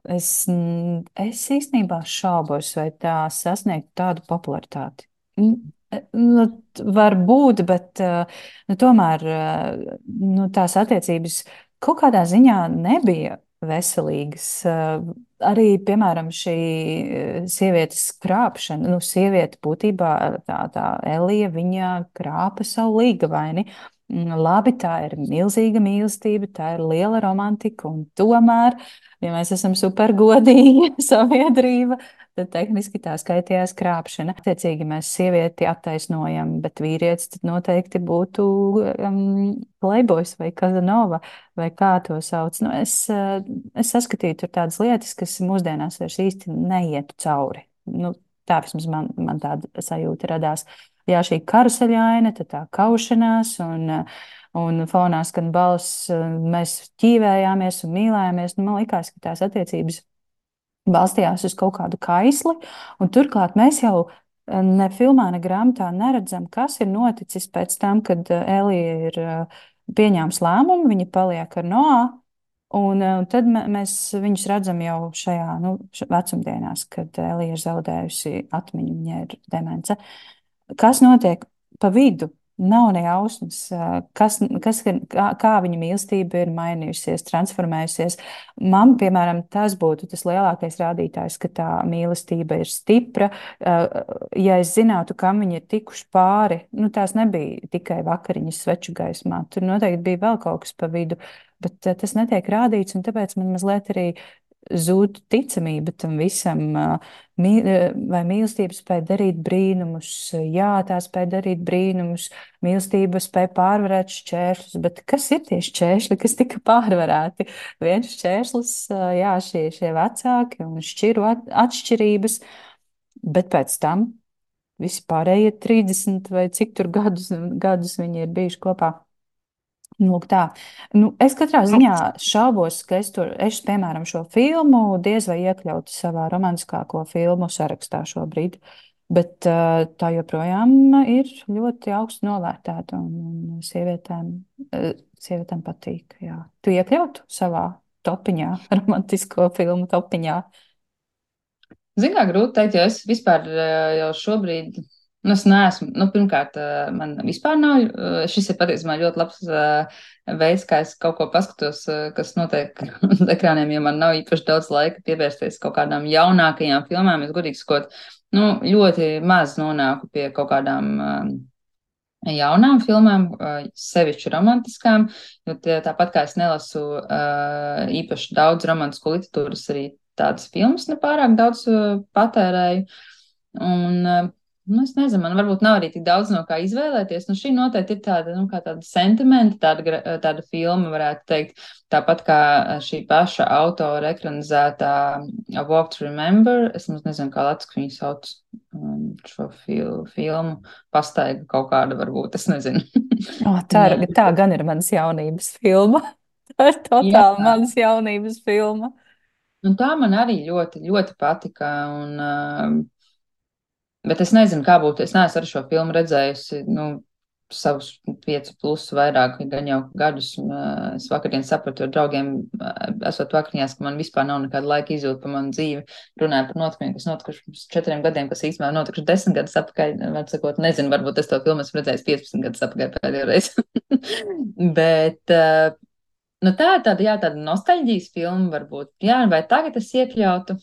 es, mm, es īstenībā šaubos, vai tā sasniegtu tādu popularitāti. Mm, e, Nu, t- var būt, bet eh, nu, tomēr eh, nu, tās attiecības kaut kādā ziņā nebija veselīgas. Eh, Arī, piemēram, šī eh, sievietes krāpšana, nu, sieviete būtībā tā, tā Elija, viņa krāpa savu līgavaini. Mm, Labi, tā ir milzīga mīlestība, tā ir liela romantika, un tomēr ja mēs esam supergodīgi sabiedrība, tad tehniski tā skaitījās krāpšana. Attiecīgi mēs sievieti attaisnojam, bet vīrietis tad noteikti būtu um, playboys vai Kazanova vai kā to sauc. Nu, es, uh, es saskatīju tur tādas lietas, kas mūsdienās vairs īsti neietu cauri. Nu, tā vismaz man, man tāda sajūta radās. Jā, šī karuseļaina, tad tā kaušanās un uh, un fonā skan balss, mēs ķīvējāmies un mīlējāmies. Nu, man liekas, ka tās attiecības balstījās uz kaut kādu kaisli, un turklāt mēs jau eh, ne filmā, ne grāmatā neredzam, kas ir noticis pēc tam, kad eh, Elija ir eh, pieņēmusi lēmumu, viņa paliek ar Noā, un eh, tad mē- mēs viņus redzam jau šajā, nu, š- vecumdienās, kad Elija ir zaudējusi atmiņu, viņai ir demence. Kas notiek pa vidu? Nav ne jausmas, eh, kas, kas, ir- kā, kā viņa mīlestība ir mainījusies, transformējusies. Man, piemēram, tas būtu tas lielākais rādītājs, ka tā mīlestība ir stipra. Eh, Ja es zinātu, kam viņi ir tikuši pāri, nu, tās nebija tikai vakariņas sveču gaismā. Tur noteikti bija vēl kaut kas pa vidu, bet eh, tas netiek rādīts, un tāpēc man mazliet arī zūd ticamība tam visam. Mī, vai mīlestība spēja darīt brīnumus? Jā, tā spēja darīt brīnumus. Mīlestība spēja pārvarēt šķēršļus, bet kas ir tie šķēršļi, kas tika pārvarēti? Viens šķērslis, jā, šie, šie vecāki un šķiru at, atšķirības, bet pēc tam visi pārējie trīsdesmit vai cik tur gadus, gadus viņi ir bijuši kopā. Nu, lūk tā. Nu, es katrā ziņā šaubos, ka es tur, es, piemēram, šo filmu diez vai iekļautu savā romantiskāko filmu sarakstā šobrīd. Bet uh, tā joprojām ir ļoti augstu novērtēta un, un sievietēm, uh, sievietēm patīk. Jā. Tu iekļautu savā topiņā, romantisko filmu topiņā. Zini, kā grūti teikt, jo es vispār eh, jau šobrīd, nu, es neesmu, nu, pirmkārt, eh, man vispār nav, eh, šis ir patiesībā ļoti labs eh, veids, kā es kaut ko paskatos, eh, kas notiek uz ekrāniem, jo man nav īpaši daudz laika pievērsties kaut kādām jaunākajām filmām. Es godīgi sakot, nu, ļoti maz nonāku pie kaut kādām eh, jaunām filmām, eh, sevišķi romantiskām, jo tie, tāpat kā es nelasu eh, īpaši daudz romantisku literatūras, arī tādas filmas nepārāk daudz uh, patērēju. Un, uh, nu, es nezinu, man varbūt nav arī tik daudz no kā izvēlēties. Nu, šī noteikti ir tāda, nu, kā tāda sentimenta, tāda, gra- tāda filma, varētu teikt, tāpat kā šī paša autora ekranizētā A Walk to Remember. Es maz nezinu, kā latviski viņu sauc um, šo fil filmu. Pastaiga kaut kāda varbūt, es nezinu. O, tā, ir- tā gan ir manas jaunības filma. Tā ir Jā, totāli manas jaunības filma. un tā man arī ļoti, ļoti patika. Un, uh, Bet es nezinu, kā būtu. Es neesmu ar šo filmu redzējusi, nu, savus piecu plus vairāk, gan jau gadus. Un, uh, es vakardien sapratu ar draugiem, uh, esot vakariņās, ka man vispār nav nekāda laika izjūta par manu dzīvi. Runāju par notikumiem, kas notikuši pirms četriem gadiem, kas īstenībā notikuši desmit gadus atpakaļ. Var sakot, nezinu, varbūt es to filmu esmu redzējis piecpadsmit gadus atpakaļ pēdējo reizi. Bet, uh, nu, tā ir tāda, jā, tāda nostalģijas filma varbūt. Jā, vai tagad es iekļautu?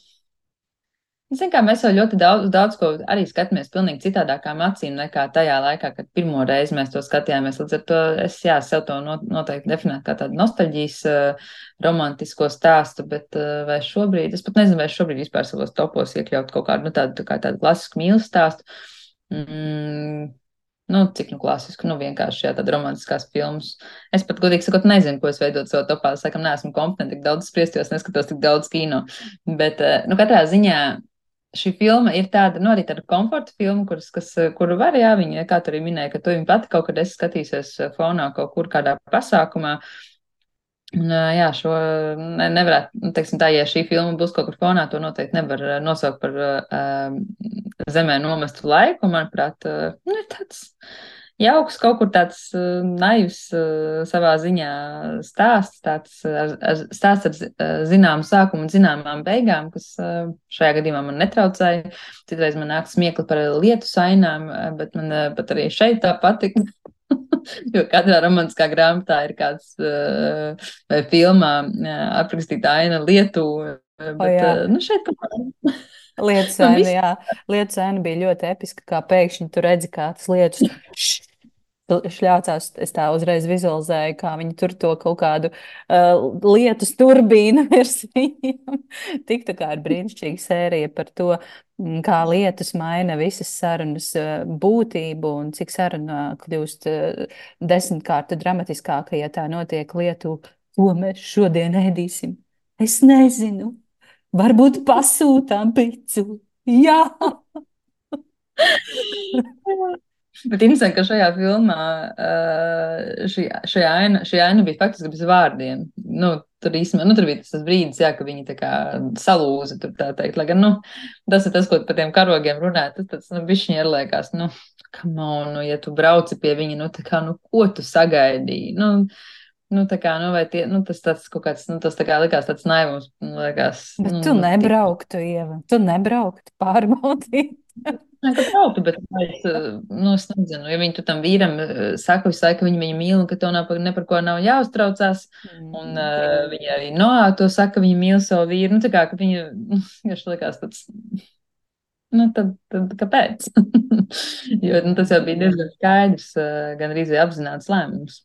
Ziniet, kā mēs jau ļoti daudz, daudz ko arī skatāmies pilnīgi citādākām acīm nekā tajā laikā, kad pirmo reizi mēs to skatījāmies. Līdz ar to es, jā, sev to not, noteikti definētu kā tādu nostalģijas uh, romantisko stāstu, bet uh, vai šobrīd, es pat nezinu, vai šobrīd vispār savos topos iekļaut kaut kādu, nu, tādu, tā kā tādu klasisku mīlestības stāstu. Mm, nu, cik nu klasisku, nu, vienkārši, jā, tāda romantiskās filmas. Es pat, godīgi sakot, nezinu, ko es veidot savā topā. Sakam, neesmu kompetenti tik daudz spriest, jo es neskatos tik daudz kino. Bet, uh, nu, katrā ziņā šī filma ir tāda, nu, arī tāda komforta filma, kuras, kas, kuru var, jā, viņa, kā tu arī minēji, ka tu viņu pati kaut kad esi skatījusies fonā kaut kur kādā pasākumā. Un, jā, šo ne, nevarētu, nu, teiksim tā, ja šī filma būs kaut kur fonā, to noteikti nevar nosaukt par uh, zemē nomestu laiku. Manuprāt, uh, nu, ir tāds jauks, kaut kur tāds uh, naivs uh, savā ziņā stāsts, tāds ar, ar, stāsts ar uh, zināmu sākumu un zināmām beigām, kas uh, šajā gadījumā man netraucēja. Citreiz man nāk smiekli par lietu sainām, bet man uh, pat arī šeit tā patika. Jo katrā romantiskā grāmatā ir kāds uh, vai filmā uh, aprakstīta aina lietu, uh, O, bet jā. uh, nu, šeit kaut kā Lietu man sēna, viss. jā, lietu sēna bija ļoti episka, kā pēkšņi tu redzi, kā tas lietus šļācās. Es tā uzreiz vizualizēju, kā viņi tur to kaut kādu uh, lietus turbīnu virs viņiem. Tik tā kā ir brīnišķīga sērija par to, mm, kā lietus maina visas sarunas uh, būtību un cik saruna kļūst uh, desmitkārt dramatiskāka, ja tā notiek lietu, ko mēs šodien ēdīsim. Es nezinu. Varbūt pasūtām picu. Jā, Bet interesanti, ka šajā filmā uh, šī, šajā aina, šī aina bija faktiski bez vārdiem. Nu, tur īstenībā, nu, tur bija tas, tas brīdis, jā, ka viņi tā kā salūza, tur tā teikt. Lai gan, nu, tas ir tas, ko par tiem karogiem runā, tas tāds, nu, bišķiņi ir liekas, nu, come on, nu, ja tu brauci pie viņa, nu, tā kā, nu, ko tu sagaidīji? Nu, nu, tā kā, nu, vai tie, nu, tas tāds kaut kāds, nu, tas tā kā likās tāds naivums, nu, likās, Bet nu, tu nu, tik. nebrauktu, Ieva. Tu nebrauktu pārbaudīt. Nē, ka braukt, bet es, nu, es nezinu, ja viņi tu tam vīram eh, saka visu laiku, ka viņi viņu mīl un ka tev nav par, ne par ko nav jāuztraucās, un Mm. uh, viņi arī Noā to saka, ka viņi mīl savu vīru, nu, tā kā, ka viņi, nu, viņš likās tāds, nu, tad, tad kāpēc? Jo, nu, tas jau bija diezgan skaidrs, uh, gan arī apzināts lēmums.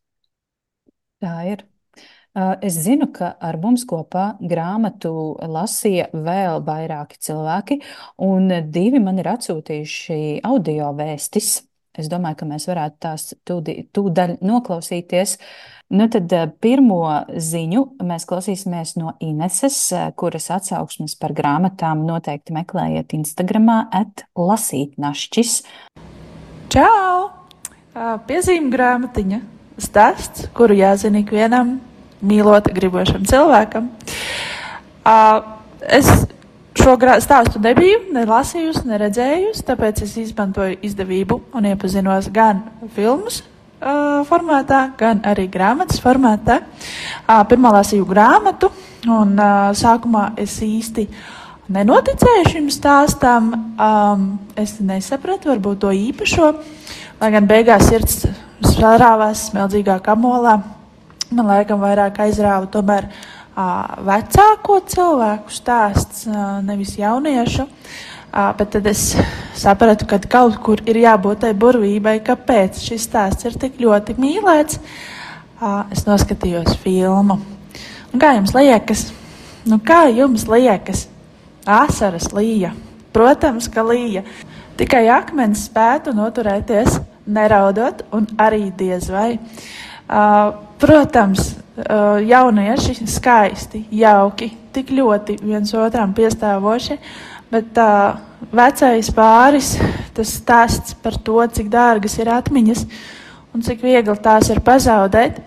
Tā ir. Uh, Es zinu, ka ar mums kopā grāmatu lasīja vēl vairāki cilvēki, un divi man ir atsūtījuši audio vēstis. Es domāju, ka mēs varētu tās tūdi- tūdaļ noklausīties. Nu tad uh, pirmo ziņu mēs klausīsimies no Ineses, uh, kuras atsauksmes par grāmatām noteikti meklējiet Instagramā at lasītnašķis. Čau! Ā, Piezīme grāmatiņa. Stāsts, kuru jāzina ikvienam mīlot gribošam cilvēkam. Ā, Es šo grā- stāstu nebiju ne lasījusi, ne redzējusi, tāpēc es izmantoju izdevību un iepazinos gan filmas ā, formātā, gan arī grāmatas formātā. Ā, Pirmā lasīju grāmatu, un ā, sākumā es īsti nenoticēju šim stāstam. Um, es nesapratu varbūt to īpašo, lai gan beigās sirds sarāvās smeldzīgā kamolā. Man laikam vairāk aizrāva tomēr ā, vecāko cilvēku stāsts, ā, nevis jauniešu. Ā, Bet tad es sapratu, ka kaut kur ir jābūt tai burvībai, kāpēc šis stāsts ir tik ļoti mīlēts. Ā, Es noskatījos filmu. Un kā jums liekas? Nu, kā jums liekas? Asaras līja. Protams, ka līja. Tikai akmens spētu noturēties, neraudot, un arī diez vai. Uh, protams, uh, jaunieši skaisti, jauki, tik ļoti viens otram piestāvoši, bet uh, vecais pāris, tas stāsts par to, cik dārgas ir atmiņas un cik viegli tās ir pazaudēt,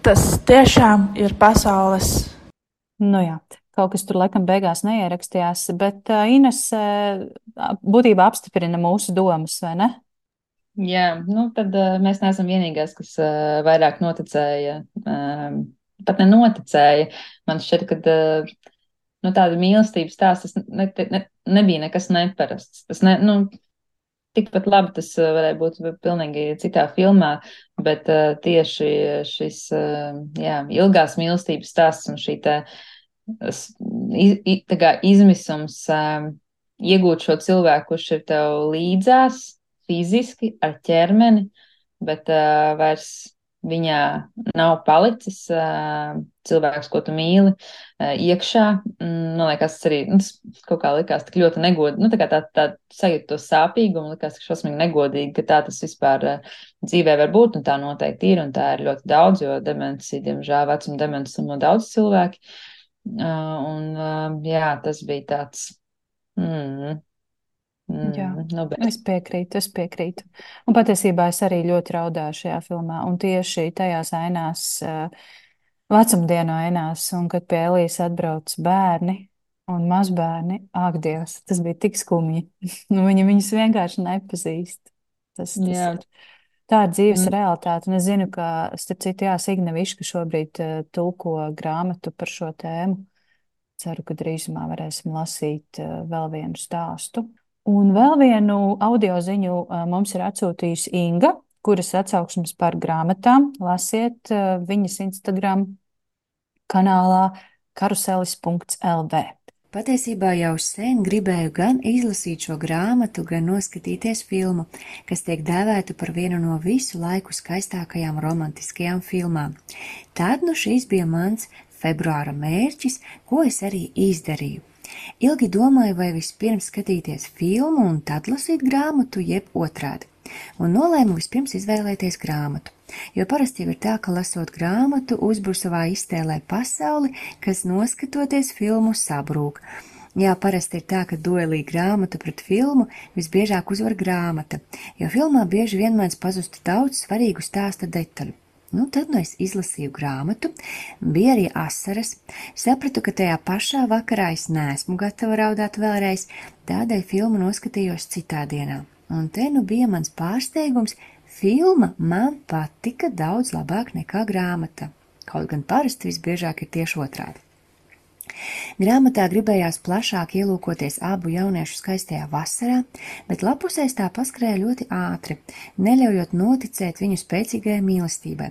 tas tiešām ir pasaules. Nu jā, kaut kas tur laikam beigās neierakstījās, bet uh, Ines uh, būtībā apstiprina mūsu domas, vai ne? Jā, nu tad uh, mēs neesam vienīgās, kas uh, vairāk noticēja, um, pat nenoticēja. Man šķiet, ka uh, nu, tāda mīlestības stāsts tas ne, ne, nebija nekas neparasts. Tas ne, nu, tikpat labi tas uh, varēja būt pilnīgi citā filmā, bet uh, tieši šis uh, jā, ilgās mīlestības stāsts un šī tā, s- iz, i- tā kā izmisums um, iegūt šo cilvēku, kurš ir tev līdzās fiziski ar ķermeni, bet uh, vairs viņā nav palicis uh, cilvēks, ko tu mīli, uh, iekšā. Mm, Man liekas, tas arī nu, tas kaut kā likās tik ļoti negodīgi. Nu, tā kā tā, tā sajūta to sāpīgumu, likās tik šausmīgi negodīgi, ka tā tas vispār uh, dzīvē var būt, un tā noteikti ir, un tā ir ļoti daudz, jo demenci, diemžēl, vecuma demenci slimo daudz cilvēki. Uh, un uh, jā, tas bija tāds. Mm, Jā, mm, nu, bet, es piekrītu, es piekrītu. Un patiesībā es arī ļoti raudāju šajā filmā, un tieši tajās ainās, uh, vecumdienu ainās, un kad pie Elijas atbrauc bērni un mazbērni, ak, Dievs, tas bija tik skumji. Nu, viņi viņus vienkārši nepazīst. Tas, tas jā. ir. Tā ir dzīves Mm. realitāte, un es zinu, ka, starp citu, jā, Signe Viška šobrīd uh, tulko grāmatu par šo tēmu. Ceru, ka drīzumā varēsim lasīt uh, vēl vienu stāstu. Un vēl vienu audio ziņu uh, mums ir atsūtījusi Inga, kuras atsauksmes par grāmatām lasiet uh, viņas Instagram kanālā karuselis punkts l v. Patiesībā jau sen gribēju gan izlasīt šo grāmatu, gan noskatīties filmu, kas tiek dēvēta par vienu no visu laiku skaistākajām romantiskajām filmām. Tad nu šis bija mans februāra mērķis, ko es arī izdarīju. Ilgi domāju, vai vispirms skatīties filmu un tad lasīt grāmatu, jeb otrādi. Un nolēmu vispirms izvēlēties grāmatu, jo parasti jau ir tā, ka lasot grāmatu uzbūr savā iztēlē pasauli, kas noskatoties filmu sabrūk. Jā, parasti ir tā, ka duelī grāmata pret filmu visbiežāk uzvar grāmata, jo filmā bieži vien mēdz pazust daudz svarīgu stāsta detaļu. Nu, tad nu es izlasīju grāmatu, bija arī asaras, sapratu, ka tajā pašā vakarā es neesmu gatava raudāt vēlreiz, tādēļ filmu noskatījos citā dienā. Un te nu bija mans pārsteigums, filma man patika daudz labāk nekā grāmata, kaut gan parasti visbiežāk ir tieši otrādi. Grāmatā gribējās plašāk ielūkoties abu jauniešu skaistajā vasarā, bet lapusēs tā paskrēja ļoti ātri, neļaujot noticēt viņu spēcīgajai mīlestībai.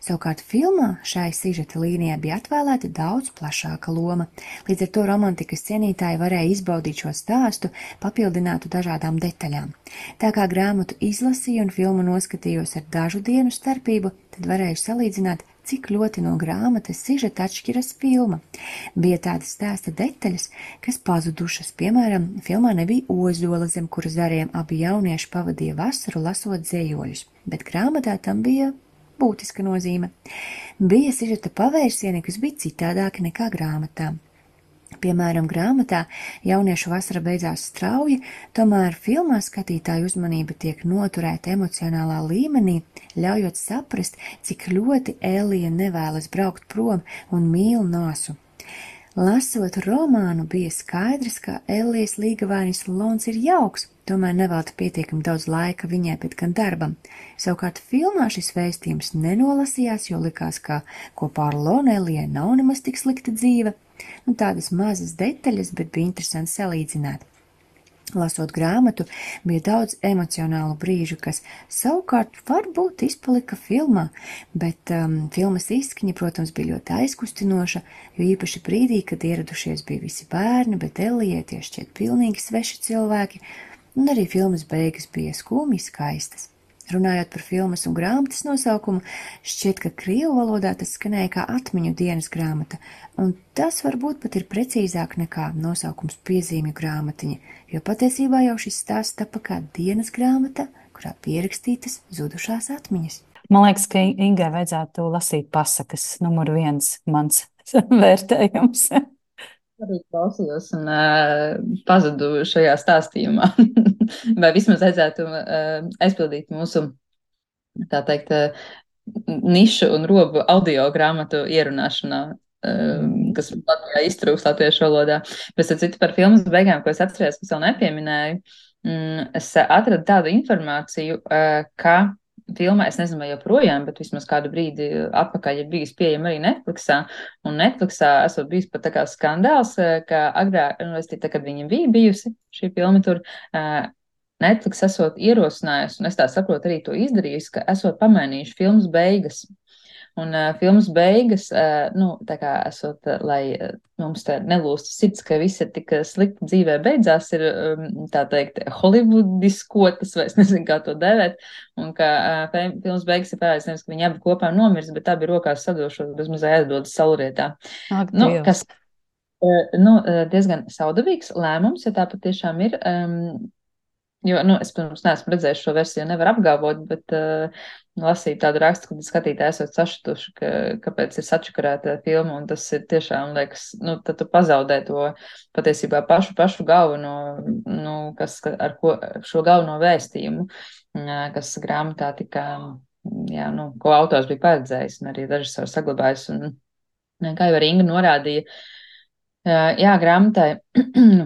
Savukārt filmā šai sižeta līnijai bija atvēlēta daudz plašāka loma, līdz ar to romantikas cienītāji varēja izbaudīt šo stāstu, papildinātu dažādām detaļām. Tā kā grāmatu izlasīju un filmu noskatījos ar dažu dienu starpību, tad varēju salīdzināt, cik ļoti no grāmatas sižeta atšķiras filma. Bija tādas stāsta detaļas, kas pazudušas, piemēram, filmā nebija ozola, zem kura zariem abi jaunieši pavadīja vasaru lasot dzējoļus, bet grāmatā tam bija būtiska nozīme. Bija sižeta pavērsieni, kas bija citādāki nekā grāmatā. Piemēram, grāmatā jauniešu vasara beidzās strauji, tomēr filmā skatītāju uzmanība tiek noturēta emocionālā līmenī, ļaujot saprast, cik ļoti Elija nevēlas braukt prom un mīl Nasu. Lasot romānu, bija skaidrs, ka Elijas līgavainis Lons ir jauks, tomēr nevelta pietiekami daudz laika viņai pēc gan darbam. Savukārt filmā šis vēstījums nenolasījās, jo likās, ka kopā ar Lonu Elijai nav nemaz tik slikta dzīve. Nu, tādas mazas detaļas, bet bija interesanti salīdzināt. Lasot grāmatu, bija daudz emocionālu brīžu, kas savukārt varbūt izpalika filmā, bet um, filmas izskaņa, protams, bija ļoti aizkustinoša, jo īpaši brīdī, kad ieradušies bija visi bērni, bet Elijai tie šķiet pilnīgi sveši cilvēki, un arī filmas beigas bija skumji skaistas. Runājot par filmas un grāmatas nosaukumu, šķiet, ka krievu valodā tas skanēja kā atmiņu dienas grāmata, un tas varbūt pat ir precīzāk nekā nosaukums piezīmju grāmatiņa, jo patiesībā jau šis stāsts tapa kā dienas grāmata, kurā pierakstītas zudušās atmiņas. Man liekas, ka Ingai vajadzētu lasīt pasakas, numur viens mans vērtējums. Arī klausījos un uh, pazudu šajā stāstījumā. Vai vismaz vajadzētu uh, aizpildīt mūsu, tā teikt, uh, nišu un robu audio grāmatu ierunāšanā, uh, kas Latvijā iztrūks latviešu valodā. Pēc citu par filmas beigām, ko es atceros, kas vēl nepieminēju, mm, es atradu tādu informāciju, uh, ka filmā, es nezinu, vai joprojām, bet vismaz kādu brīdi atpakaļ ir bijis pieejama arī Netflixā, un Netflixā esot bijis pat tā kā skandāls, ka agrāk, nu, es tā, kad viņa bija bijusi, šī filma tur, Netflix esot ierosinājusi, un es tā saprotu arī to izdarījusi, ka esot pamainījuši filmas beigas. Un uh, filmas beigas, uh, nu, tā kā esot, uh, lai uh, mums te nelūstu sirds, ka viss ir tik slikti dzīvē beidzās, ir, um, tā teikt, holivudiskotas, vai es nezinu, kā to dēvēt, un ka uh, filmas beigas ir pērēs, nevis, ka viņi abi kopā nomirs, bet abi rokās sadošos, bez mazai aizdodas saulrietā. Ak, nu, Dievs. kas, uh, nu, uh, diezgan saudabīgs lēmums, ja tā patiešām ir, um, jo, nu, es, protams, neesmu redzējis šo versiju, nevar apgalvot, bet uh, lasīt tādu rakstu, kad skatītāji esat sašutuši, ka, kāpēc ir sačakarēta filma, un tas ir tiešām, liekas, nu, tad tu pazaudē to patiesībā pašu, pašu galveno, nu, kas, ar ko, šo galveno vēstījumu, kas grāmatā tika, jā, nu, ko autors bija paredzējis, un arī režisors saglabājis, un, kā jau arī Inga norādīja, jā, grāmatai,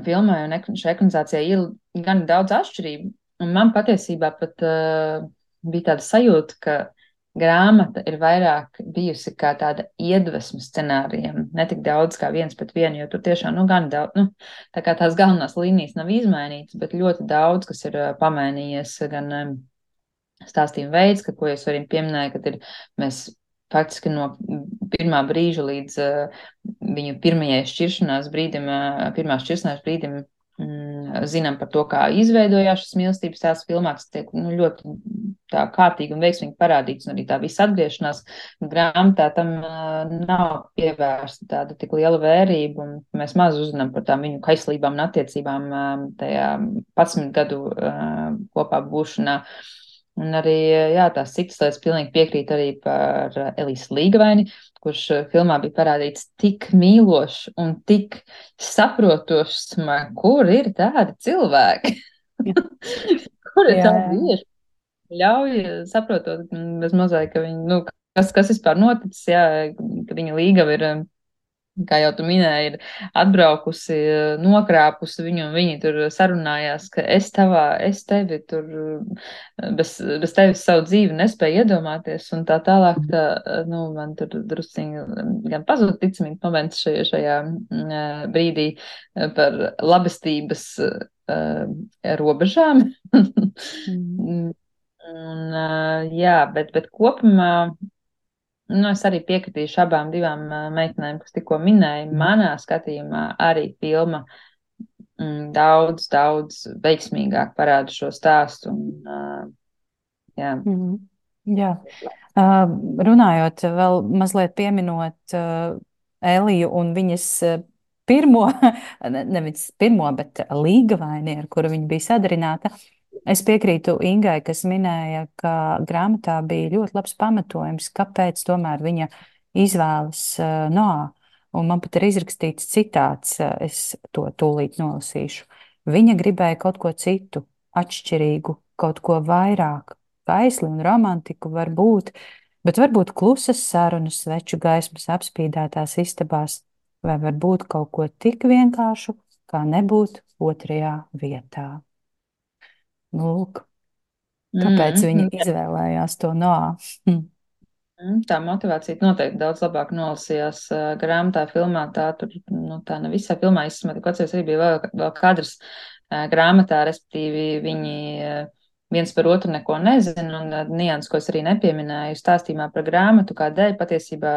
filmai un šai ekranizācijai ir gan daudz atšķirību, un man patiesībā pat uh, bija tāda sajūta, ka grāmata ir vairāk bijusi kā tāda iedvesma scenārijiem, ne tik daudz kā viens pret vienu, jo tur tiešām, nu, gan daudz, nu, tā kā tās galvenās līnijas nav izmainītas, bet ļoti daudz, kas ir uh, pamainījies, gan um, stāstījuma veids, ka, ko jūs arī pieminēja, kad ir, mēs faktiski no pirmā brīža līdz uh, viņu pirmajai šķiršanās brīdim, uh, pirmā šķiršanās brīdim mm, zinām par to, kā izveidojās šis mīlestības tās filmā, kas tiek, nu, ļoti tā kārtīgi un veiksmīgi parādīts, un arī tā visa atgriešanās grāmatā tam uh, nav pievērsta tāda tik liela vērība, un mēs maz uzzinām par tām viņu kaislībām un attiecībām uh, tajā padsmit gadu uh, kopā būšanā. Un arī, jā, tās citas lietas pilnīgi piekrīt arī par Elīsu Līgavaini, kurš filmā bija parādīts tik mīlošs un tik saprotošs, man, kur ir tādi cilvēki, kur ir Jā, tādi vīri, ļauj saprotot bez mazai, ka viņi, nu, kas, kas vispār noticis, jā, ka viņa Līgava ir, kā jau tu minēji, ir atbraukusi, nokrāpusi viņu, un viņi tur sarunājās, ka es tavā, es tevi tur, bez, bez tevis savu dzīvi nespēju iedomāties, un tā tālāk, tā, nu, man tur drusciņi gan pazuda ticamības moments šajā, šajā mm, brīdī par labestības uh, robežām. mm. Un, uh, jā, bet, bet kopumā, nu, es arī piekritīšu abām divām uh, meitenēm, kas tikko minēja. Manā skatījumā arī filma mm, daudz, daudz veiksmīgāk parāda šo stāstu. Un, uh, jā. Mm. Jā. Uh, runājot, vēl mazliet pieminot uh, Eliju un viņas uh, pirmo, ne- nevis pirmo, bet Līgavaini, ar kuru viņa bija sadarināta. Es piekrītu Ingai, kas minēja, ka grāmatā bija ļoti labs pamatojums, kāpēc tomēr viņa izvēlas uh, Noā. Un man pat ir izrakstīts citāts, uh, es to tūlīt nolasīšu. Viņa gribēja kaut ko citu, atšķirīgu, kaut ko vairāk. Kaisli un romantiku var būt, bet varbūt klusas sarunas, sveču gaismas apspīdētās istabās, vai varbūt kaut ko tik vienkāršu, kā nebūt otrajā vietā. Nu, lūk, kāpēc Mm, viņa jā. izvēlējās to Noā? Hm. Mm, Tā motivācija noteikti daudz labāk nolasījās uh, grāmatā, filmā. Tā tur, nu, tā ne visā filmā izsmata, kaut arī bija vēl, vēl kadrs uh, grāmatā, respektīvi viņi uh, viens par otru neko nezina, un uh, nians, ko es arī nepieminēju stāstījumā par grāmatu, kādēļ patiesībā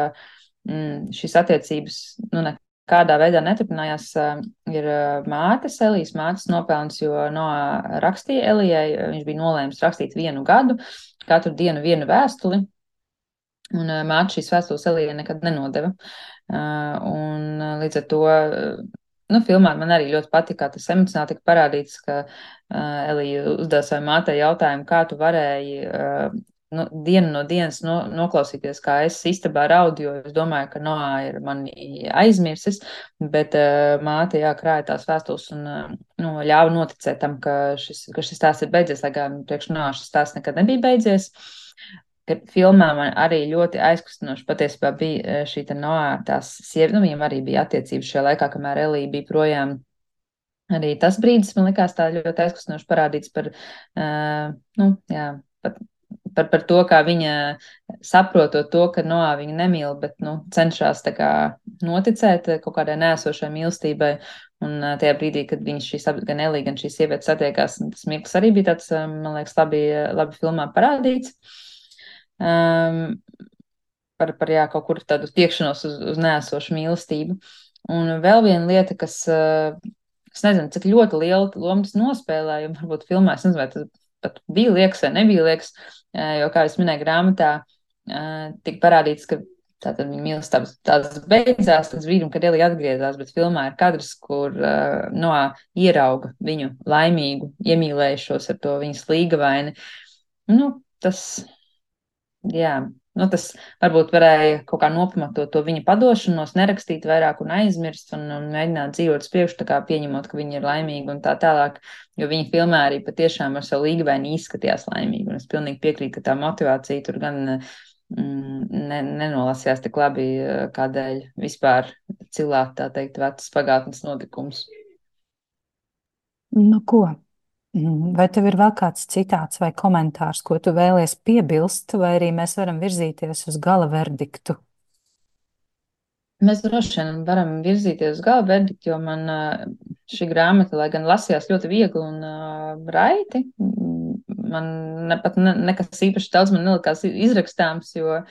mm, šīs attiecības, nu, nekādā veidā neturpinājās, uh, ir uh, mātes, Elijas mātes nopelns, jo Noā rakstīja Elijai, viņš bija nolēmis rakstīt vienu gadu, katru dienu vienu vēstuli. Un uh, māte šīs vēstules Elijai nekad nenodeva. Uh, un uh, līdz ar to, uh, nu, filmā man arī ļoti patika, kā tas emocionāli tika parādīts, ka uh, Elija uzdeva savai mātei jautājumu, kā tu varēji uh, nu, dienu no dienas no, noklausīties, kā es istabā raudu, jo es domāju, ka Noā ir mani aizmirsis, bet uh, māte, jā, krāja tās vēstules un uh, nu, ļāva noticēt tam, ka šis, ka šis stāsts ir beidzies, lai gan priekš Noā šis stāsts nekad nebija beidzies. Ka filmā man arī ļoti aizkustinoši patiesībā bija šī te Noā, tās sievietes, nu, viņam arī bija attiecības šajā laikā, kamēr Elija bija projām. Arī tas brīdis man likās tā ļoti aizkustinoši parādīts par, uh, nu, jā, par, par, par to, kā viņa saprotot to, ka Noā viņu nemīl, bet, nu, cenšas tā kā noticēt kaut kādai nēsošai mīlestībai. Un uh, tajā brīdī, kad viņš šīs, gan Elija, gan šīs sievietes satiekās, tas mirklis arī bija tāds, man liekas, labi, labi filmā parādīts. Um, par, par jā, kaut kur tādu tiekšanos uz, uz nēsošu mīlestību. Un vēl viena lieta, kas, uh, es nezinu, cik ļoti lielu lomu tas nospēlēja, un varbūt filmā, es nezinu, vai tas pat bija liekas vai nebija liekas, uh, jo, kā es minēju grāmatā, uh, tika parādīts, ka tātad viņa mīlestības tās beidzās līdz brīdim, kad Elija atgriezās, bet filmā ir kadrs, kur uh, Noā ierauga viņu laimīgu, iemīlējušos ar to viņas Līgavaini. Nu, tas... Jā, nu tas varbūt varēja kaut kā nopamatot to viņa padošanos, nerakstīt vairāk un aizmirst un, un mēģināt dzīvot uz priekšu, tā kā pieņemot, ka viņa ir laimīga un tā tālāk, jo viņa filmā arī patiešām ar savu Līgavaini izskatījās laimīgi, un es pilnīgi piekrītu, ka tā motivācija tur gan mm, ne, nenolasījās tik labi, kādēļ vispār cilāt, tā teikt, vecas pagātnes notikums. Nu, ko? Vai tev ir vēl kāds citāts vai komentārs, ko tu vēlies piebilst, vai arī mēs varam virzīties uz gala verdiktu? Mēs droši vien varam virzīties uz gala verdiktu, jo man šī grāmata, lai gan lasījās ļoti viegli un uh, raiti, man ne, pat ne, nekas īpaši daudz man nelikās izrakstāms, jo,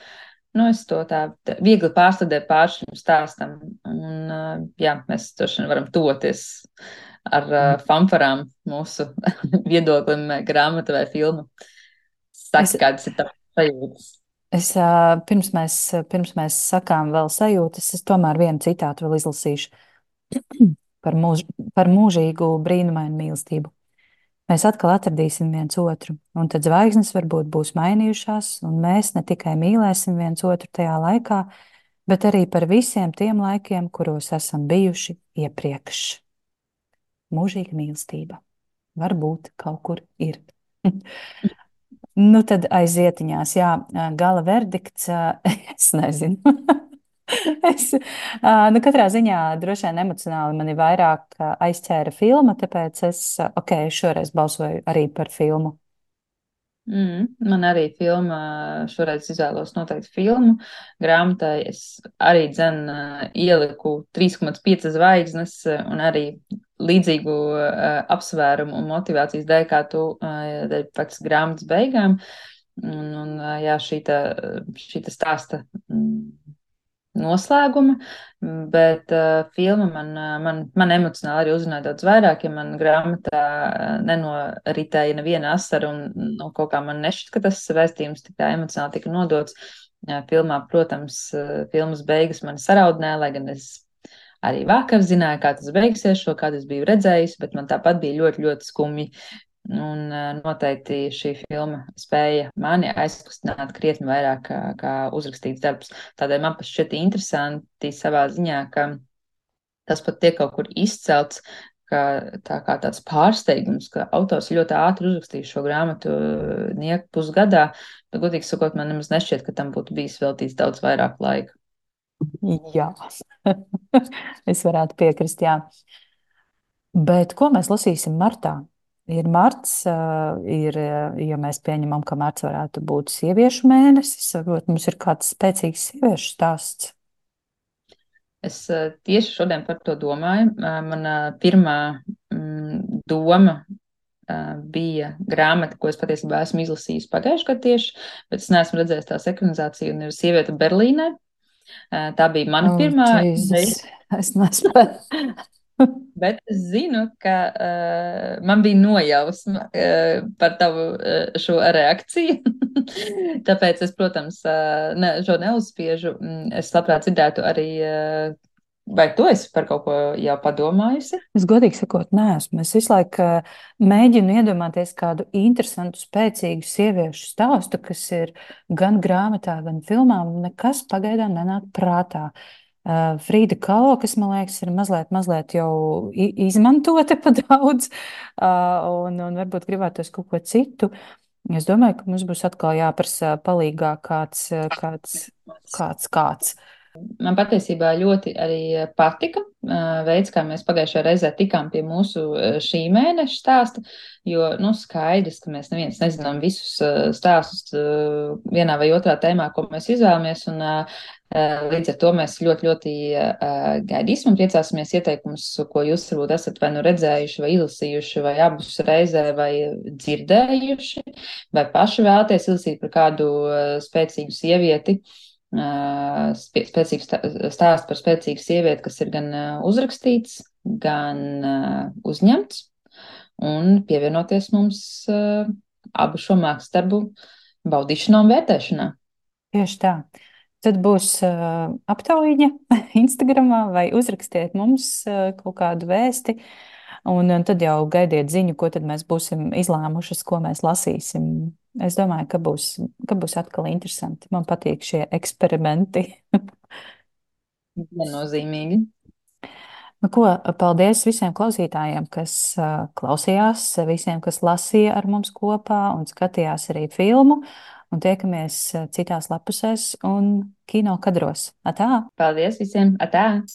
nu, es to tā, tā viegli pārstādēju pār šim stāstam. Un, uh, jā, mēs droši vien varam toties ar uh, fanfarām mūsu viedoklim, grāmata vai filmu. Saki, Es- kādas ir tavas sajūtas? Es, ā, pirms mēs, pirms mēs sakām vēl sajūtas, es tomēr vienu citātu vēl izlasīšu par, mūž, par mūžīgu brīnumainu mīlestību. mēs atkal atradīsim viens otru. Un tad zvaigznes varbūt būs mainījušās, un mēs ne tikai mīlēsim viens otru tajā laikā, bet arī par visiem tiem laikiem, kuros esam bijuši iepriekš. Mūžīga mīlestība varbūt kaut kur ir. Nu, tad aizietiņās, jā, gala verdikts, es nezinu. es, nu, katrā ziņā droši vien emocionāli mani vairāk aizķēra filma, tāpēc es, ok, šoreiz balsoju arī par filmu. Mm, man arī filma, šoreiz izvēlos noteikti filmu. Grāmatai es arī dzen ieliku trīs komats pieci zvaigznes un arī līdzīgu uh, apsvērumu un motivācijas dēļ, kā tu, uh, dēļ pēc grāmatas beigām. Un, un uh, jā, šīta, šīta stāsta mm, noslēguma, bet uh, filma man, man, man emocionāli arī uzrunāja daudz vairāk, ja man grāmatā nenoritēja neviena asara un no kaut kā man nešķiet, ka tas vēstījums tik tā emocionāli tika nodots. Filmā, protams, filmas beigas mani saraudināja, lai gan es arī vakar zināju, kā tas beigsies, šo kādu es biju redzējis, bet man tāpat bija ļoti, ļoti skumji. Un noteikti šī filma spēja mani aizkustināt krietni vairāk kā, kā uzrakstīts darbs. Tādēļ man pat šķiet interesanti savā ziņā, ka tas pat tiek kaut kur izcelts, ka tā kā tāds pārsteigums, ka autors ļoti ātri uzrakstīs šo grāmatu nieku pusgadā, bet, godīgi sakot, man nemaz nešķiet, ka tam būtu bijis veltīts daudz vairāk laika. Jā, es varētu piekrist, jā. Bet ko mēs lasīsim martā? Ir marts, ir, ja mēs pieņemam, ka marts varētu būt sieviešu mēnesis, varbūt mums ir kāds spēcīgs sieviešu stāsts. Es tieši šodien par to domāju. Mana pirmā mm, doma bija grāmata, ko es patiesībā esmu izlasījusi pagājušajā gadā tieši, bet es neesmu redzējis tās ekranizāciju, un ir Sieviete Berlīnē. Tā bija mana oh, pirmā ideja. Es nespēju. Bet es zinu, ka uh, man bija nojausma uh, par tavu uh, šo reakciju. Tāpēc es, protams, uh, ne, šo neuzspiežu. Es labprāt dzirdētu arī, uh, vai tu esi par kaut ko jau padomājusi? Es godīgi sakot, neesmu. Es visu laiku uh, mēģinu iedomāties kādu interesantu, spēcīgu sieviešu stāstu, kas ir gan grāmatā, gan filmā. Nekas pagaidām nenāk prātā. Uh, Frīda Kalo, kas, man liekas, ir mazliet, mazliet jau izmantota pa daudz, uh, un, un varbūt gribētos kaut ko citu. Es domāju, ka mums būs atkal jāprasa palīgā kāds, kāds, kāds, kāds. Man patiesībā ļoti arī patika veids, kā mēs pagājušajā reizē tikām pie mūsu šī mēneša stāsta, jo, nu, skaidrs, ka mēs neviens nezinām visus stāstus vienā vai otrā tēmā, ko mēs izvēlamies, un līdz ar to mēs ļoti, ļoti gaidīsim un priecāsimies ieteikumus, ko jūs varbūt esat vai nu redzējuši, vai izlasījuši, vai abus reizē, vai dzirdējuši, vai paši vēlaties izlasīt par kādu spēcīgu sievieti, spēcīgs stāsts par spēcīgu sievieti, kas ir gan uzrakstīts, gan uzņemts, un pievienoties mums abu šo mākslas darbu baudīšanā un vērtēšanā. Tieši tā. Tad būs uh, aptaujiņa Instagramā vai uzrakstiet mums uh, kaut kādu vēsti, un, un tad jau gaidiet ziņu, ko tad mēs būsim izlēmušas, ko mēs lasīsim. Es domāju, ka būs, ka būs atkal interesanti. Man patīk šie eksperimenti. Viennozīmīgi. Nu, ko, paldies visiem klausītājiem, kas uh, klausījās, visiem, kas lasīja ar mums kopā un skatījās arī filmu. Un tiekamies citās lapusēs un kino kadros. Atā! Paldies visiem! Atā!